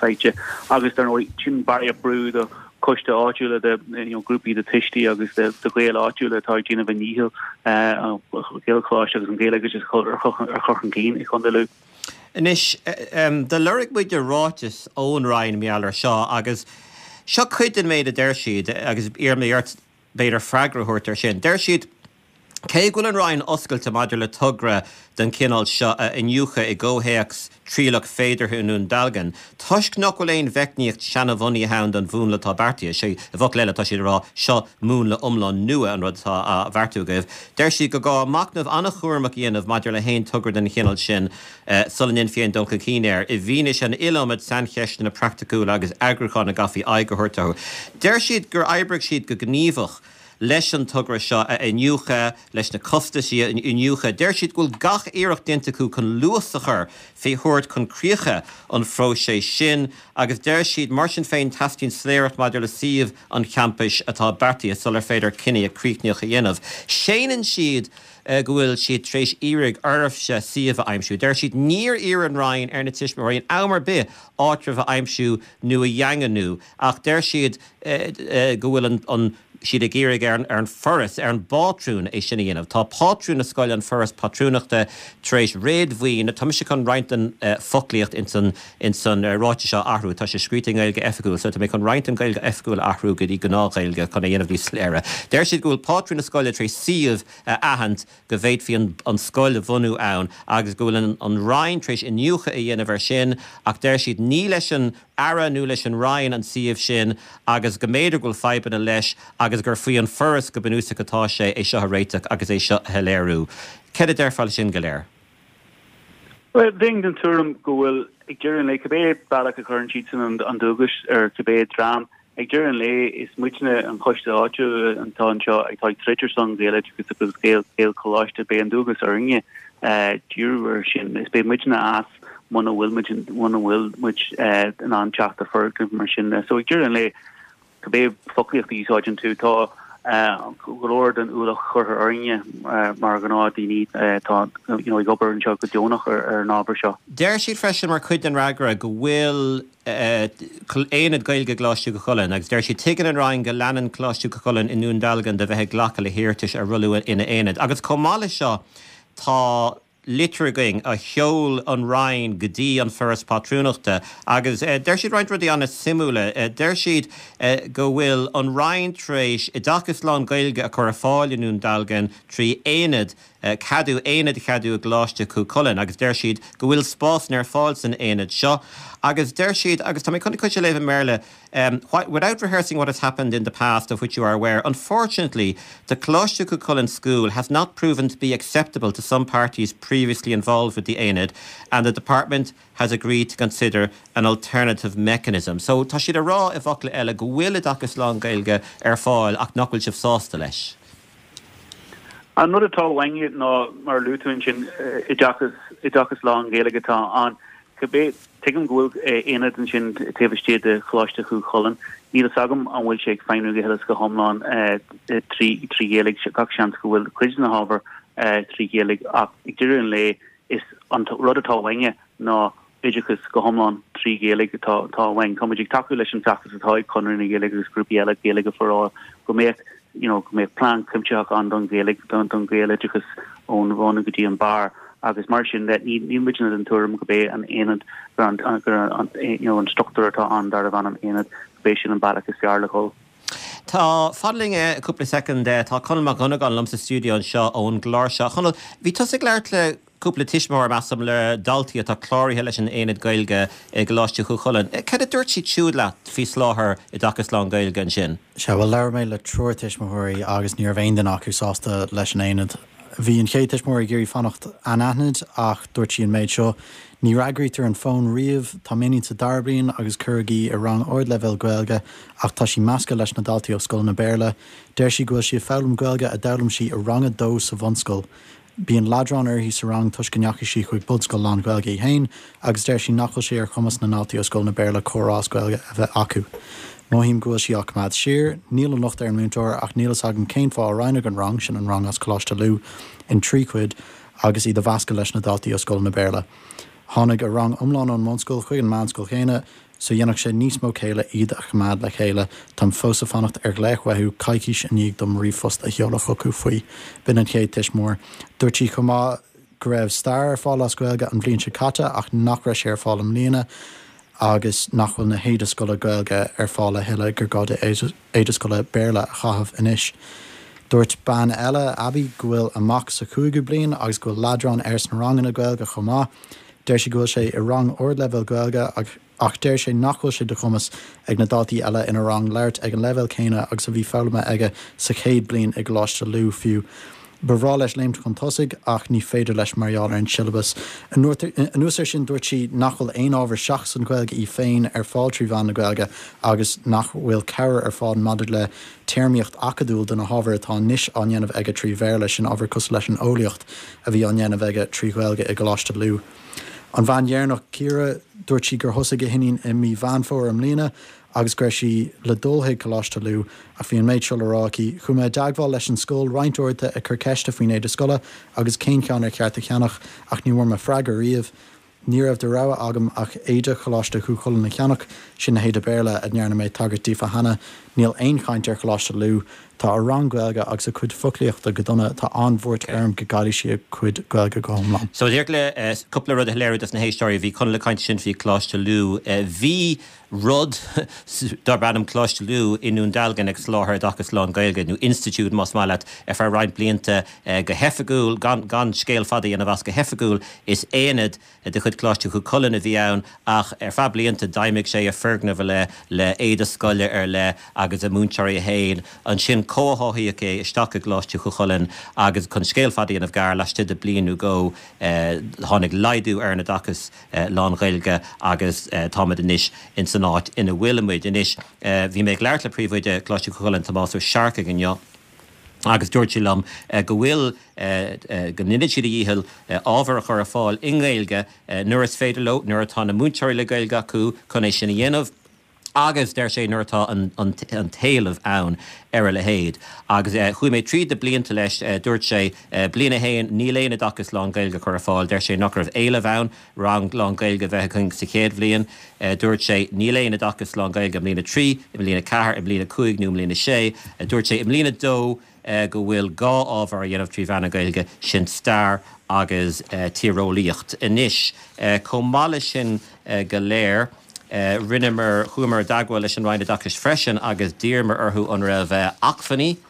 faighte agus dar ndóigh sin barraíocht brú do choiste áitiúla de you know, grúpaí de tuistí agus de, de Ghaeil áitiúla atá ag déanamh a ndícheall uh, Gaelcholáiste agus an Ghaeilge a chur chun cinn i Chontae Lú. Anois, do lorg muid ráiteas ón Roinn mar gheall air seo agus seo cuid den méid a deir siad agus iarraim ort b'fhéidir freagra a thabhairt air sin. Deir siad, cé go bhfuil an Roinn oscailte maidir le togra den chineál seo a iniúchadh i gcomhthéacs trialach féideartha i nDún Dealgan, toisc nach bhfuil aon mheicníocht seanabhunaithe ann don mhúnla atá beartaithe, sé, i bhfocail eile, tá siad ag rá, seo múnla iomlán nua an rud atá á bheartú agaibh. Deir siad gur gá machnamh an-chúramach a dhéanamh maidir le haon togra den chineál sin sula ndéanfaí aon dul chun cinn air, i bhfianaise an iliomad saincheisteanna praiticiúla agus eagrúcháin a gcaithfí aghaidh a thabhairt orthu. Deir siad gur oibrigh siad go gníomhach leis an togra seo a iniúchadh, leis na costaisí a iniúchadh. Deir siad go bhfuil gach iarracht déanta acu chun luas a chur fé thabhairt chun críche an phróisis sin agus deir siad, mar sin féin, teastaíonn soiléireacht maidir le suíomh an champais atá beartaithe sular féidir cinneadh críochnaitheach a dhéanamh. Séanann siad go bhfuil siad tar éis iarraidh oraibhse suíomh a aimsiú. Deir siad níor iarr an Roinn ar na tuismitheoirí in am ar bith áitreabh a aimsiú nó a dhaingniú ach deir siad go bhfuil an siad ag iarraidh ar an Foras, ar an bpátrún é sin a dhéanamh. Tá pátrún na scoile, an Foras Pátrúnachta, tar éis réadmhaoin, tá mise chun roinnt den foclaíocht ins an ins an ráiteas seo a athrú, tá sé scríte i nGaeilge Oifigiúil, so tá mé chun roinnt den Ghaeilge Oifigiúil a athrú go dtí gnáth-Ghaeilge chun é a dhéanamh níos soiléire. Deir siad go bhfuil pátrún na scoile tar éis suíomh a aithint go bhféadfaí an an scoil a bhunú ann agus go bhfuil an an Roinn tar éis iniúchadh a dhéanamh air sin ach deir siad ní leis an Aire nó leis an Roinn an suíomh sin agus go mb'fhéidir go bhfuil fadhbanna leis agus gur faoi an Foras go bunúsach atá sé é seo a réiteach agus é seo a shoiléiriú. Céard a déarfá leis sin go léir? Bhuel, bheinn den tuairim go bhfuil, ag deireadh an lae, cibé bealach a chuireann siadsan an dualgas ar cibé dream, ag deireadh an lae is muidne an coiste áitiúil atá anseo atá ag troid ar son Gaeloideachas agus Gaelcholáiste, beidh an dualgas orainne díriú air sin. Is beidh muidne as muna bhfuil muid muna bhfuil muid in ann teacht ar foirgneamh mar sin. So ag deireadh an lae, cibé foclaíocht a úsáideann tú, tá go leor den ualach curtha orainne mar ghnáthdhaoine atá you know ag obair anseo go deonach ar an ábhar seo. Deir siad freisin mar chuid den fhreagra go bhfuil Aonad Gaeilge i gColáiste Chú Chulainn agus deir siad tuigeann an Roinn go leanann Coláiste Chú Chulainn i nDún Dealgan de bheith ag glacadh le hiarratais ar rollú ina aonad. Agus chomh maith leis seo tá litir againn a sheol an Roinn go dtí an Foras Pátrúnachta agus deir siad roinnt rudaí an-suimiúla. Deir siad go bhfuil an Roinn tar éis oideachas lán-Ghaeilge a chur ar fáil i nDún Dealgan trí aonad ceadú aonad a cheadú i gColáiste Chú Chulainn agus deir siad go bhfuil spásanna ar fáil san aonad seo agus deir siad, agus tá mé chun cuid a léamh i mBéarla, without rehearsing what has happened in the past of which you are aware, unfortunately the Coláiste Chú Chulainn school has not proven to be acceptable to some parties previously involved with the aonad and the department has agreed to consider an alternative mechanism. So tá siad a rá i bhfocla eile go bhfuil oideachas lán-Ghaeilge ar fáil ach nach bhfuil sibh sásta leis. An rud atá uainne ná, mar a luaigh tú ansin, oideachas, oideachas lán-Ghaeilge atá ann. Cibé, tuigim go bhfuil aonad ansin taobh istigh de Choláiste Chú Chulainn. Níl fhios agam an bhfuil sé ag feidhmiú go huile is go hiomlán trí trí Ghaeilge. Gach seans go bhfuil cuid de na hábhair trí Ghaeilge ach ag deireadh an lae is an rud atá uainne ná oideachas go hiomlán trí Ghaeilge atá atá uainn. Tá muid ag tacú leis an bhfeachtas atá ag Conradh na Gaeilge agus grúpaí eile Gaeilge for All go mbeadh you know, go mbeadh plean cuimsitheach ann don Ghaeilge, don don Ghaeloideachas ón bhun go dtí an barr agus mar sin de ní níl muidne den tuairim go b'é an aonad gur an gur an you know, an struchtúr atá ann darbh ainm aonad go b'é sin an bealach is fearr le dhul. Tá, fan linn cúpla soicind, tá Conall Mac Dhonnagáin liom sa stiúideo anseo ón gclár seo. A Chonaill, bhí tusa ag labhairt le cúpla tuismitheoir, measaim, le daltaí atá cláraithe leis an Aonad Gaeilge i gColáiste Chú Chulainn. Cad a dúirt siad siúd leat faoi soláthar oideachas lán-Ghaeilge ansin? Sea, bhuel, labhair mé le triúr tuismitheoirí agus ní raibh aon duine acu sásta leis an Aonad. Bhí an chéad tuismitheoir ag iarraidh fanacht anaithnid ach dúirt sí an méid seo, Ní fhreagraítear an fón riamh, tá m'iníon sa dara bliain agus cuireadh í i rang ardleibhéil Gaeilge ach tá sí measctha leis na daltaí ó scoileanna Béarla. Deir sí go bhfuil sí ag foghlaim Gaeilge a d'fhoghlaim sí i rang a dó sa bhunscoil. Bíonn leadrán uirthi sa rang toisc go ndeachaigh sí chuig bunscoil lán-Ghaeilge í féin agus deir sí nach bhfuil sé ar chumas na ndaltaí ó scoileanna Béarla comhrá as Gaeilge a bheith acu. Mothaím go bhfuil sí á coimeád siar. Níl an locht ar an múinteoir ach níl fhios agam cén fáth a roinneadh an rang, sin an rang as Coláiste Lú, in trí chuid agus iad a mheascadh leis na daltaí ó scoileanna Béarla. Tháinig a rang iomlán ón mbunscoil chuig an meánscoil chéanna so dhéanfadh sé níos mó céille iad a choimeád le chéile. Táim fós ag fanacht ar ghlaoch uathu coicís i ndiaidh dom ríomhphost a sheoladh chucu faoi. B'in an chéad tuismitheoir. Dúirt sí chomh maith go raibh stair ar fáil as Gaeilge an bhliain seo caite ach nach raibh sé ar fáil i mbliana agus nach bhfuil na héide scoile Gaeilge ar fáil a thuilleadh, gur gá di éide scoile Béarla a chaitheamh anois. Dúirt bean eile, Abby, go bhfuil a mac sa chúigiú bliain agus go bhfuil leadrán air sna ranganna Gaeilge chomh maith. Deir sí go bhfuil sé i rang ardleibhéil Gaeilge ach deir sé nach bhfuil sé de chumas ag na daltaí eile ina rang labhairt ag an leibhéal céanna agus a bhí foghlamtha aige sa chéad bliain i gColáiste Lú fiú. Ba bhreá leis léimt chun tosaigh ach ní féidir leis mar gheall ar an siollabas. Anuas air sin dúirt sí nach bhfuil aon ábhar seachas an Ghaeilge í féin ar fáil trí mheán na Gaeilge agus nach bhfuil cabhair ar fáil maidir le téarmaíocht acadúil do na hábhair atá anois á ndéanamh aige trí Bhéarla, sin ábhair cosúil leis an eolaíocht a bhí á ndéanamh aige trí Ghaeilge i gColáiste Lú. An bhean dheireanach, Ciara, dúirt sí gur thosaigh a hiníon i mí Mheán Fómhair i mbliana agus go raibh sí le dul chuig Coláiste Lú ach bhí an méid seo le rá aici, Chuaigh mé i dteagmháil leis an scoil roinnt uaireanta ag cur ceiste faoin éide scoile agus cén ceann ar cheart a cheannach ach ní bhfuair mé freagra riamh. Ní raibh de rogha agam ach éide Choláiste Chú Chulainn a cheannach, sin na héide Béarla a ndearna mé tagairt daofa cheana. Níl aon chaint ar Choláiste Lú. Tá a rang Gaeilge agus a cuid foclaíochta go dona tá an-bhuairt orm go gcaillfidh sí a cuid Gaeilge go hiomlán. So díreach le cúpla rud a shoiléiriú dos na héisteoirí, bhí Conall ag caint ansin faoi Coláiste Lú. Bhí rud darb ainm Coláiste Lú i nDún Dealgan ag soláthar oideachas lán-Ghaeilge, nó institiúid más maith leat, ar feadh roinnt blianta go hoifigiúil, gan gan scéal fada a dhéanamh as, go hoifigiúil is aonad de chuid Choláiste Chú Chulainn a bhí ann ach ar feadh blianta d'fheidhmigh sé i foirgneamh ar leith le éide scoile ar leith agus a múinteoirí féin. Ansin comhtháthaíodh é isteach i gColáiste Chú Chulainn agus chun scéal fada a dhéanamh gearr, laistigh de bliain nó dhó tháinig laghdú ar an oideachas lán-Ghaeilge agus táimid anois ins an áit ina bhfuilimid anois. Bhí mé ag labhairt le príomhoide Choláiste Chú Chulainn, Tomás Ó Searcaigh inniu agus dúirt sé liom go bhfuil, go ndéanann siad a dhícheall ábhar a chur ar fáil i nGaeilge nuair is féidir leo, nuair atá na múinteoirí le Gaeilge acu chun é sin a dhéanamh. Agus, deir sé, nuair atá an t-éileamh ann ar a leithéid. Agus chuaigh mé tríd na blianta leis, dúirt sé, bliain a haon, níl aon oideachas lán-Ghaeilge curtha ar fáil, deir sé nach raibh éileamh ann rang lán-Ghaeilge a bheith againn sa chéad bhliain. Dúirt sé, níl aon oideachas lán-Ghaeilge i mbliain a trí, i mbliain a ceathair, i mbliain a cúig nó i mbliain a sé. Dúirt sé, i mbliain a dó, go bhfuil dhá ábhar á dhéanamh trí mheán na Gaeilge, sin stair agus tíreolaíocht. Anois, chomh maith leis sin go léir, rinneamar, chuamar i dteagmháil leis an Roinn Oideachais freisin agus d'iarramar orthu an raibh acmhainní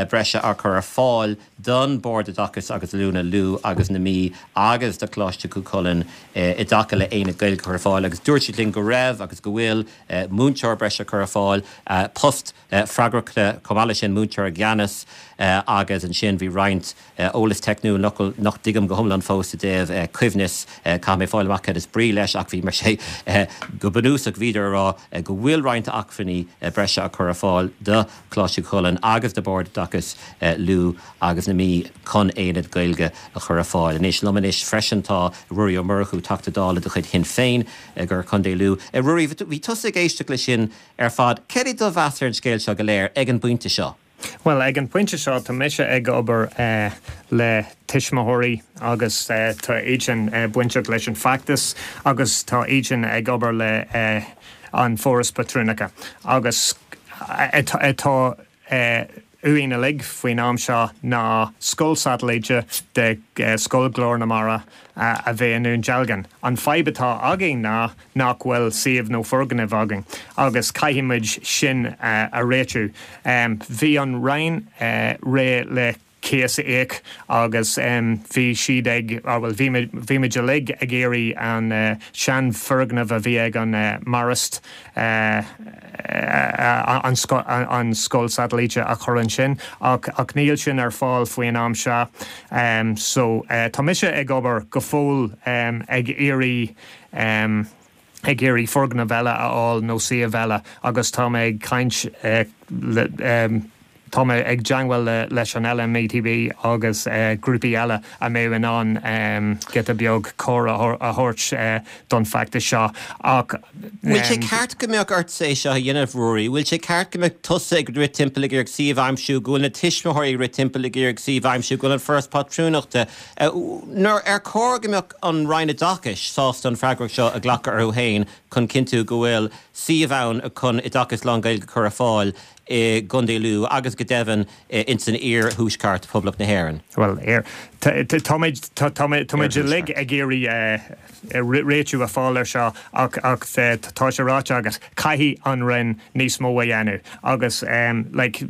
breise á cur ar fáil don Bord Oideachais agus Oiliúna Lú agus na Mí agus do Choláiste Chú Chulainn i dtaca le aonad Gaeilge a chur ar fáil agus dúirt siad linn go raibh agus go bhfuil múinteoir breise curtha ar fáil, post freagrachta chomh maith leis sin, múinteoir i gceannas agus ansin bhí roinnt eolas teicniúil nach dtuigim go hiomlán fós i dtaobh coibhneas, caithfidh mé fáil amach cad is brí leis ach bhí mar sé go bunúsach bhíodar ag rá go bhfuil roinnt acmhainní breise á cur ar fáil do Choláiste Chú Chulainn agus do Bhord Oideachais Lú agus na Mí chun aonad Gaeilge a chur ar fáil. Anois liom anois freisin tá Ruairí Ó Murchú, Teachta Dála de chuid Shinn Féin i gContae Lú. Ruairí, bhí tusa ag éisteacht leis sin ar fad. Céard é do mheas ar an scéal seo go léir ag an bpointe seo? Bhuel, ag an bpointe seo tá mise ag obair le tuismitheoirí agus tá iadsan bainteach leis an feachtas agus tá iadsan ag obair le an Foras Pátrúnachta agus atá uainn uilig faoin am seo ná scoil satailíte de Scoil Ghlór na Mara a bheith i nDún Dealgan. An fadhb atá againn ná nach bhfuil suíomh nó foirgneamh againn agus caithfidh muid sin a réitiú. Bhí an Roinn réidh le cíos a íoc agus bhí siad ag, bhuel bhí bhí muid uilig ag iarraidh an seanfhoirgneamh a bhí ag an Marist an scoil satailíte a chur ansin ach ach níl sin ar fáil faoin am seo. So tá mise ag obair go fóill ag iarraidh ag iarraidh foirgneamh eile a fháil nó suíomh eile agus tá mé ag caint le Tá mé ag teagmháil leis an LMETB agus grúpaí eile a mbeadh in ann giota beag cabhair a thabhairt don feachtas seo ach. Bhfuil sé ceart go mbeadh ortsa é seo a dhéanamh, Ruairí? Bhfuil sé ceart go mbeadh tusa ag rith timpeall ag iarraidh suíomh a aimsiú, go bhfuil na tuismitheoirí ag rith timpeall ag iarraidh suíomh a aimsiú, go bhfuil an Foras Pátrúnachta, nó ar chóir go mbeadh an Roinn Oideachais sásta an freagracht seo a ghlacadh orthu féin chun cinntiú go bhfuil suíomh ann chun oideachas lán-Ghaeilge a chur ar fáil i gContae Lú agus go deimhin ins an iar-thuaisceart Poblacht na hÉireann. Bhuel, táimid táimid uilig ag iarraidh réitiú a fháil ar seo ach ach tá sé ráite agat, caithfidh an Roinn níos mó a dhéanamh agus like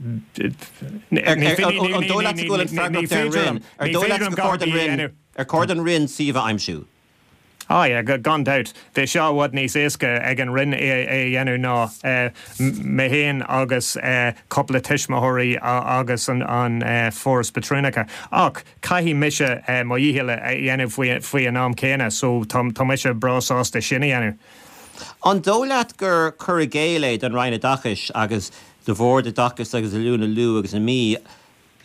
ní An dóigh leat go bhfuil an freagracht ar an Roinn? Ar dóigh leat gur chóir don Roinn ar chóir don Roinn suíomh a aimsiú? Ah yeah, gan dabht. Bheadh sé i bhfad níos éasca ag an Roinn é a dhéanamh ná mé féin agus cúpla tuismitheoirí agus an Foras Pátrúnachta. Ach caithfidh mise mo dhícheall a dhéanamh faoi an am céanna so tá mise breá sásta sin a dhéanamh. An dóigh leat gur cur i gcéill é don Roinn Oideachais agus do Bhord Oideachais agus Oiliúna Lú agus na Mí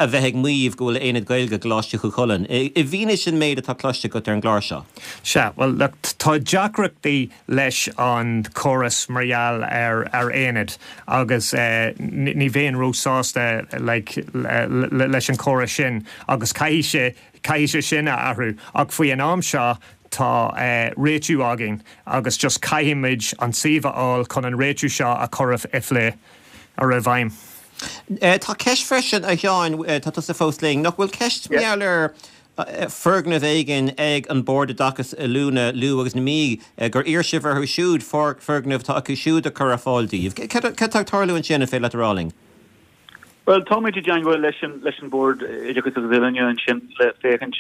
a bheith ag maíomh go bhfuil Aonad Gaeilge i gColáiste Chú Chulainn, i bhfianaise an méid atá cloiste agat ar an gclár seo? Sea, bhuel, look, tá deacrachtaí leis an chóras mar gheall ar ar aonad agus ní bheinn róshásta like leis an chóras sin agus caithfidh sé caithfidh sé sin a athrú ach faoi an am seo tá réitiú againn agus just caithfidh muid an suíomh a fháil chun an réitiú seo a chur i phlé, a chur i bhfeidhm. Tá ceist freisin, a Sheáin, tá tusa fós linn, nach bhfuil ceist mar gheall ar foirgneamh éigin ag an Bord Oideachais Oiliúna, Lú agus na Mí, gur iarr sibh orthu siúd foirgneamh atá acu siúd a chur ar fáil daoibh. Cad tá ag tarlú ansin, an féidir leat a rá linn? Bhuel, táimid i dteangmháil leis an leis an Bord Oideachais agus Oiliúna ansin le féachaint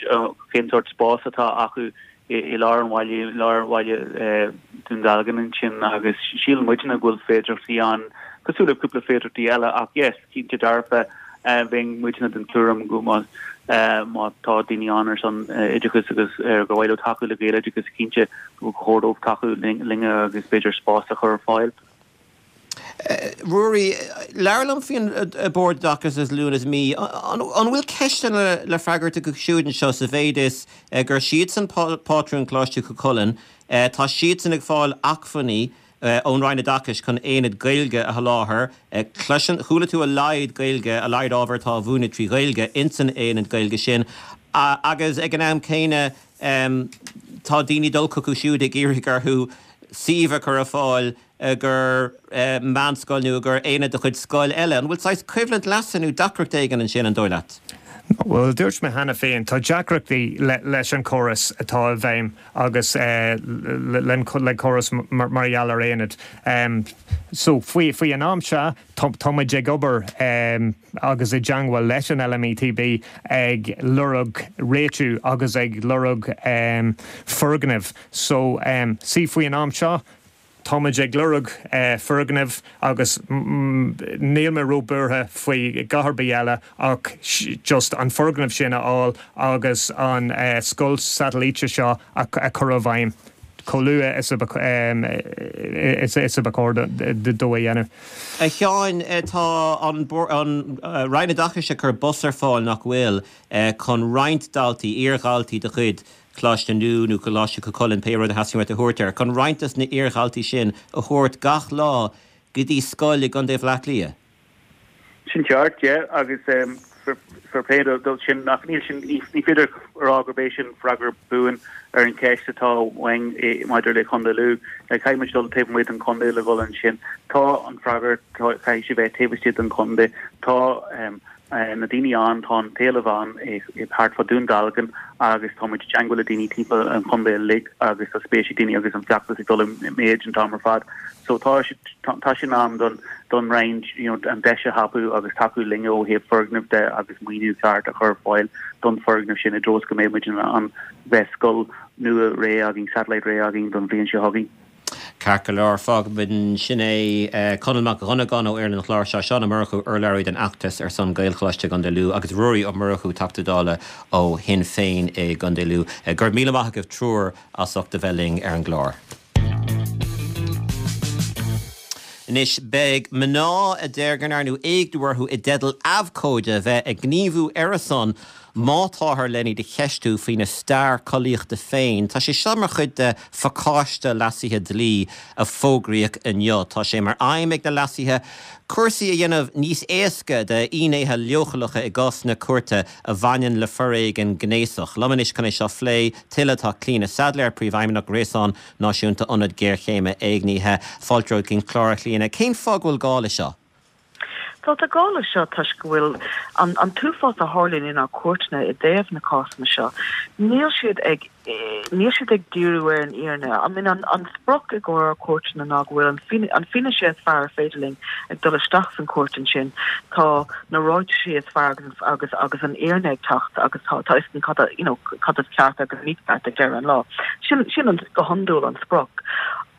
cén sórt spás atá acu i lár an bhaile, i lár bhaile Dún Dealgan ansin agus síleann muidne go bhfuil féidearthachtaí ann, cosúil le cúpla féidearthachtaí eile ach yes, cinnte dearfa bheinn muidne den tuairim go má má tá daoine ann ar son oideachais agus ar gur mhaith leo tacú le Gaeloideachas cinnte go chóir dóibh tacú linne agus b'fhéidir spás a chur ar fáil. Ruairí, labhair liom faoin Bord Oideachais agus Oiliúna sa Mí. An bhfuil ceisteanna le freagairt acu siúd anseo sa mhéid is gur siadsan pátrún Choláiste Chú Chulainn, tá siadsan ag fáil acmhainní ón Roinn Oideachais chun aonad Gaeilge a sholáthar. Cloiseann, chuala tú a laghad Gaeilge, a laghad ábhar atá á mhúineadh trí Ghaeilge insan aonad Gaeilge sin agus ag an am céanna tá daoine ag dul chucu siúd ag iarraidh orthu suíomh a chur ar fáil i gcomhair meánscoil nó i gcomhair aonad de chuid scoil eile. An bhfuil saghas coimhlint leasa nó deacracht éigin ansin, an dóigh leat? Bhuel, dúirt mé cheana féin, tá deacrachtaí leis an chóras atá i bhfeidhm agus le córas mar gheall ar aonaid. So, faoi faoi an am seo, tá muid ag obair agus i dteangmháil leis an LMETB ag lorg réitiú agus ag lorg foirgnimh. So, see, faoi an am seo, Táimid ag lorg foirgnimh agus níl mé ró-buartha faoi dhath ar bith eile ach just an foirgneamh sin a fháil agus an scoil satailíte seo a chur i bhfeidhm chomh luath is a ba chóir dó a dhéanamh. A Sheáin, tá an Roinn Oideachais ag cur bus ar fáil, nach bhfuil, chun roinnt daltaí, iar-dhaltaí de chuid Coláiste Lú nó Coláiste Chú Chulainn, pé rud a theastaíonn uait a thabhairt air, chun roinnt des na iar-dhaltaí sin a thabhairt gach lá go dtí scoil i gContae Bhaile Átha Cliath. Sin ceart, yeah, agus fair play dó sin, ach níl sin, ní féidir a rá gurb é sin freagra buan ar an cheist atá uainn maidir le Contae Lú. Caithfidh muid dul taobh amuigh den chontae le dhul ansin. Tá an freagra, caithfidh sé bheith taobh istigh den chontae. Tá na daoine ann, tá an t-éileamh ann thart fá Dún Dealgan agus tá muid i dteangmháil le daoine timpeall an chontae uilig agus tá spéis ag daoine agus an feachtas ag dul i méid an t-am ar fad. So tá tá sé in am don don Roinn you know an deis a thapú agus tacú linn ó thaobh foirgneamh de agus maoiniú ceart a chur ar fáil don foirgneamh sin i dtreo is go mbeidh muid in ann bheith scoil nua réidh againn, satellite réidh againn don bhliain seo chugainn. Ceart go leor, fágfaimid ansin é. Conall Mac Dhonnagáin ó fhoireann an chláir seo, Seán Ó Murchú, urlabhraí don fheachtas ar son Gaelcholáiste i gContae Lú agus Ruairí Ó Murchú, Teachta Dála ó Shinn Féin i gContae Lú. Go raibh míle maith agaibh triúr as ucht a bheith linn ar an gclár. Anois, beidh mná a deir go ndearnadh éigniú orthu i dteideal abhcóide a bheith ag gníomhú ar a son má táthar len iad a cheistiú faoina stair collaíochta féin. Tá sé seo mar chuid de phacáiste leasuithe dlí a fógraíodh inniu. Tá sé mar aidhm ag na leasuithe cúrsaí a dhéanamh níos éasca d'fhinnéithe leochaileacha i gcásanna cúirte a bhaineann le foréigean gnéasach. Liom anois chun é seo a phlé tuilleadh tá Clíona Saidléar, Príomhfheidhmeannach Ghréasán Náisiúnta Ionad Géarchéime Éignithe. Fáilte romhat chuig an chlár, a Chlíona. Cén fáth go bhfuil gá le seo? Tá tá gá leis seo toisc go bhfuil an an t-uafás a tharlaíonn inár gcúirteanna i dtaobh na cásanna seo, níl siad ag níl siad ag díriú ar an fhírinne. I mean an an sprioc i gcomhair ár gcúirteanna ná go bhfuil an an fianaise is fearr ar féidir linn ag dul isteach san chúirt ansin, tá na ráitisí is fearr agus agus agus an fhírinne ag teacht agus tá tá a fhios againn cad a you know cad is ceart agus mícheart ag deireadh an lá. Sin sin an go hiondúil an sprioc.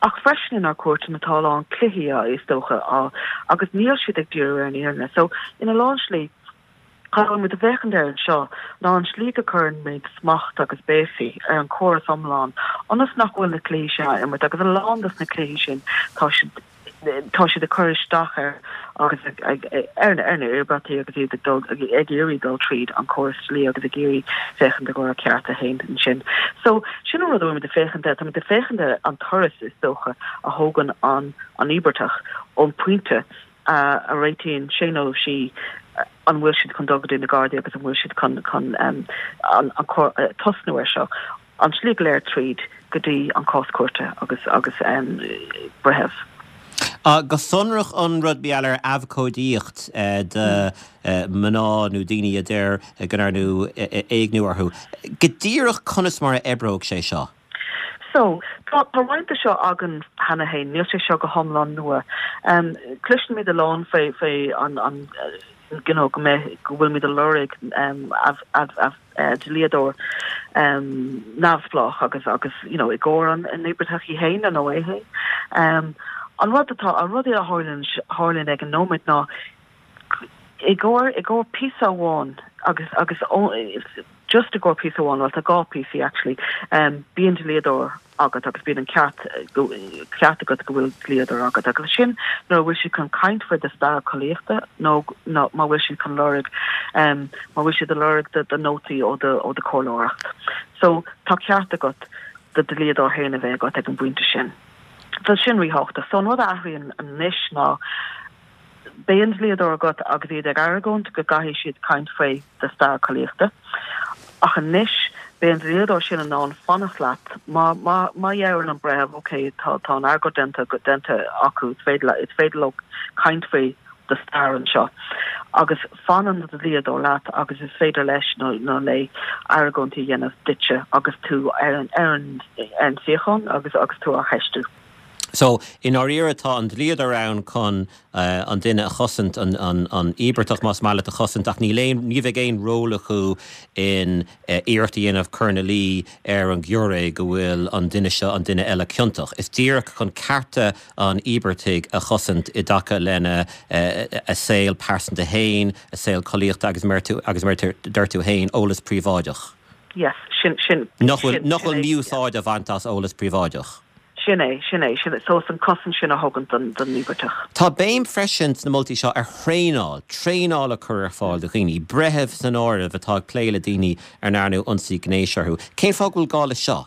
Ach freisin inár gcúirteanna tá a lán cluichí á is dócha á agus níl siad ag díriú ar an fhírinne. So ina lán slí cad a bhfuil muid ag féachaint air anseo ná an slí go cuireann muid smacht agus béasaí ar an chóras iomlán ionas nach bhfuil na cluichí sin á imirt agus a lán dos na cluichí sin tá siad tá siad ag cur isteach ar agus ag ar na íobartaigh agus iad ag dul ag iarraidh dul tríd an córas dlí agus ag iarraidh féachaint i gcomhair a cearta féin ansin. So sin an rud a bhfuil muid ag féachaint air, tá muid ag féachaint ar an turas is dócha a thógann an an íobartach ón pointe a a réitíonn sé nó sí an bhfuil siad chun dul go dtí na Gardaí agus an bhfuil siad chun chun an an tosnú air seo. an tslí go léir tríd go dtí an cás cúirte agus agus breitheamh. Go sonrach an rud mar gheall ar abhcóidíocht do mná nó daoine a deir go ndearnadh éigniú orthu. Go díreach conas mar a oibreoidh sé seo? So, tá tá roinnt de seo againn cheana féin, níl sé seo go hiomlán nua. Cloisimid a lán faoi faoi an an you know go mbeidh go bhfuilimid ag lorg dlíodóir neamhspleách agus agus you know i gcomhair an an íobartach í féin nó é féin. An rud atá an rud a tharlaíonn tharlaíonn ag an nóiméad ná i gcomhair i gcomhair píosa amháin agus agus just i gcomhair píosa amháin, bhuel tá dhá píosaí actually, bíonn dlíodóir agat agus bíonn an ceart ceart agat go bhfuil dlíodóir agat agus sin nuair a bhfuil siad chun caint faoi do stair collaíochta nó nó má bhfuil siad chun lorg má bhfuil siad ag lorg do do nótaí ó do ó do chomhairleoireacht. So tá ceart agat do dlíodóir féin a bheith agat ag an bpointe sin. So sin ríthábhachtach. So an rud a athraíonn anois ná Beidh an dlíodóir agat agus iad ag argóint go gcaithfidh siad caint faoi do stair collaíochta. Ach anois, beidh an dlíodóir sin in ann fanacht leat má má má dheireann an breitheamh ok, tá tá an argóint déanta déanta acu, is féidir is féidir leo caint faoi do stair anseo. Agus fanann do dhlíodóir leat agus is féidir leis nó nó léi argóintí a dhéanamh duitse agus tú ar an ar an ar an suíochán agus agus tú á cheistiú. So, i ndáiríre tá an dlíodóir ann chun an duine a chosaint, an íobartach más maith leat a chosaint ach níl aon, ní bheidh aon ról acu in iarracht a dhéanamh cur ina luí ar an ghiúiré go bhfuil an duine seo, an duine eile ciontach. Is díreach chun cearta an íobartaigh a chosaint i dtaca lena a saol pearsanta féin, a saol collaíochta agus mar agus mar a deir tú féin, eolas príobháideach. Yes, sin, sin, Nach bhfuil, nach bhfuil mí-úsáid a bhaint as eolas príobháideach. Sin é, sin é, sin é. So is an cosaint sin a thugann don, don íobartach. Tá béim freisin sna moltaí seo ar thraenáil, traenáil a chur ar fáil do dhaoine, breithimh san áireamh, atá ag plé le daoine ar ndearnadh ionsaí gnéis orthu. Cén fáth go bhfuil gá leis seo?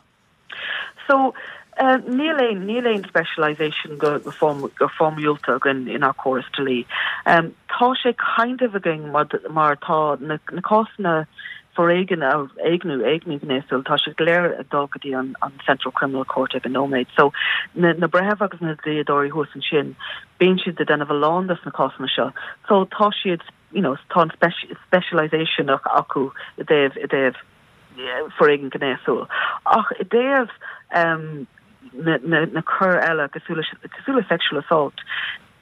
So, eh, níl aon, níl aon specialisation go, go form, go foirmiúlta againn inár córas dlí. Um, tá sé kind of againn mar, mar tá na, na cásanna foréigean, éigniú, éigniú gnéasúil, tá siad go léir ag dul go dtí an an Central Criminal Court ag an nóiméad. So na na breithimh agus na dlíodóirí thuas ansin, bíonn siad ag déanamh a lán des na cásanna seo. So tá siad, you know, tá an specialisation acu i dtaobh i dtaobh foréigean gnéasúil. Ach i dtaobh um, na, na, na coir eile cosúil le cosúil le sexual assault,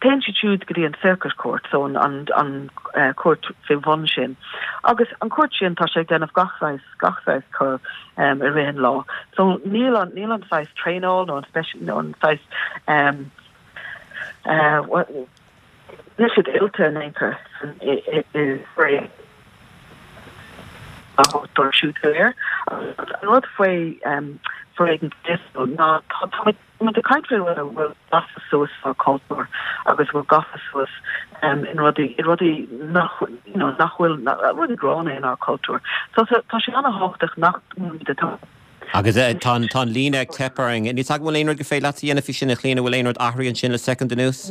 Téann siad siúd go dtí an Circuit Court, so an an an cúirt faoi bhun sin. Agus an cúirt sin tá sé ag déanamh gach saghas gach saghas coir um, i rith an lá. So níl an níl an saghas traenáil nó an speci nó an saghas um, uh, níl siad oilte in aon chor san i i i i dóibh siúd go léir. An rud faoi um, foréigean gnéasúil ná tá tá Táimid ag caint faoi rud a bhfuil gafa suas sa chultúr agus a bhfuil gafa suas in rudaí, i rudaí nach, you know, nach bhfuil, rudaí gránna inár cultúr. So tá sé an-thábhachtach nach bhfuilimid ag. Agus tá an, tá an líne ag teip orainn. Níl a fhios agam an bhfuil aon rud gur féidir leat a dhéanamh faoi sin, a Chlíona, an bhfuil aon rud athraithe ansin le soicind anuas?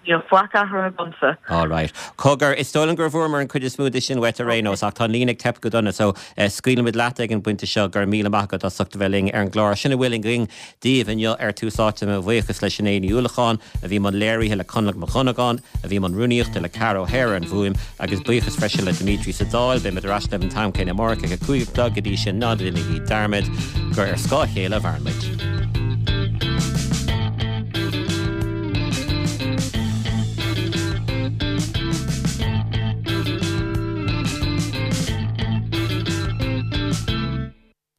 Níl faic athraithe agamsa. All right. Cogar, is dóigh liom gur bhfuaireamar an chuid is mó de sin uait ar aon nós, ach tá an líne ag teip go dona, so scaoilfimid leat ag an bpointe seo. Go raibh míle maith agat as ucht a bheith linn ar an gclár. Sin a bhfuil againn daoibh inniu ar Tús Áite. Mo bhuíochas le Sinéad Ní Uallacháin, a bhí i mbun léirithe, le Conlach Mac Dhonnagáin, a bhí i mbun rúnaíochta, le Ceara O'Hare ar an bhfuaim, agus buíochas freisin le Dimitri sa Dáil. Beimid ar ais libh an t-am céanna amárach ag a cúig a chlog. Go dtí sin, ná déanaigí dearmad gur ar scáth a chéile a mhaireann muid.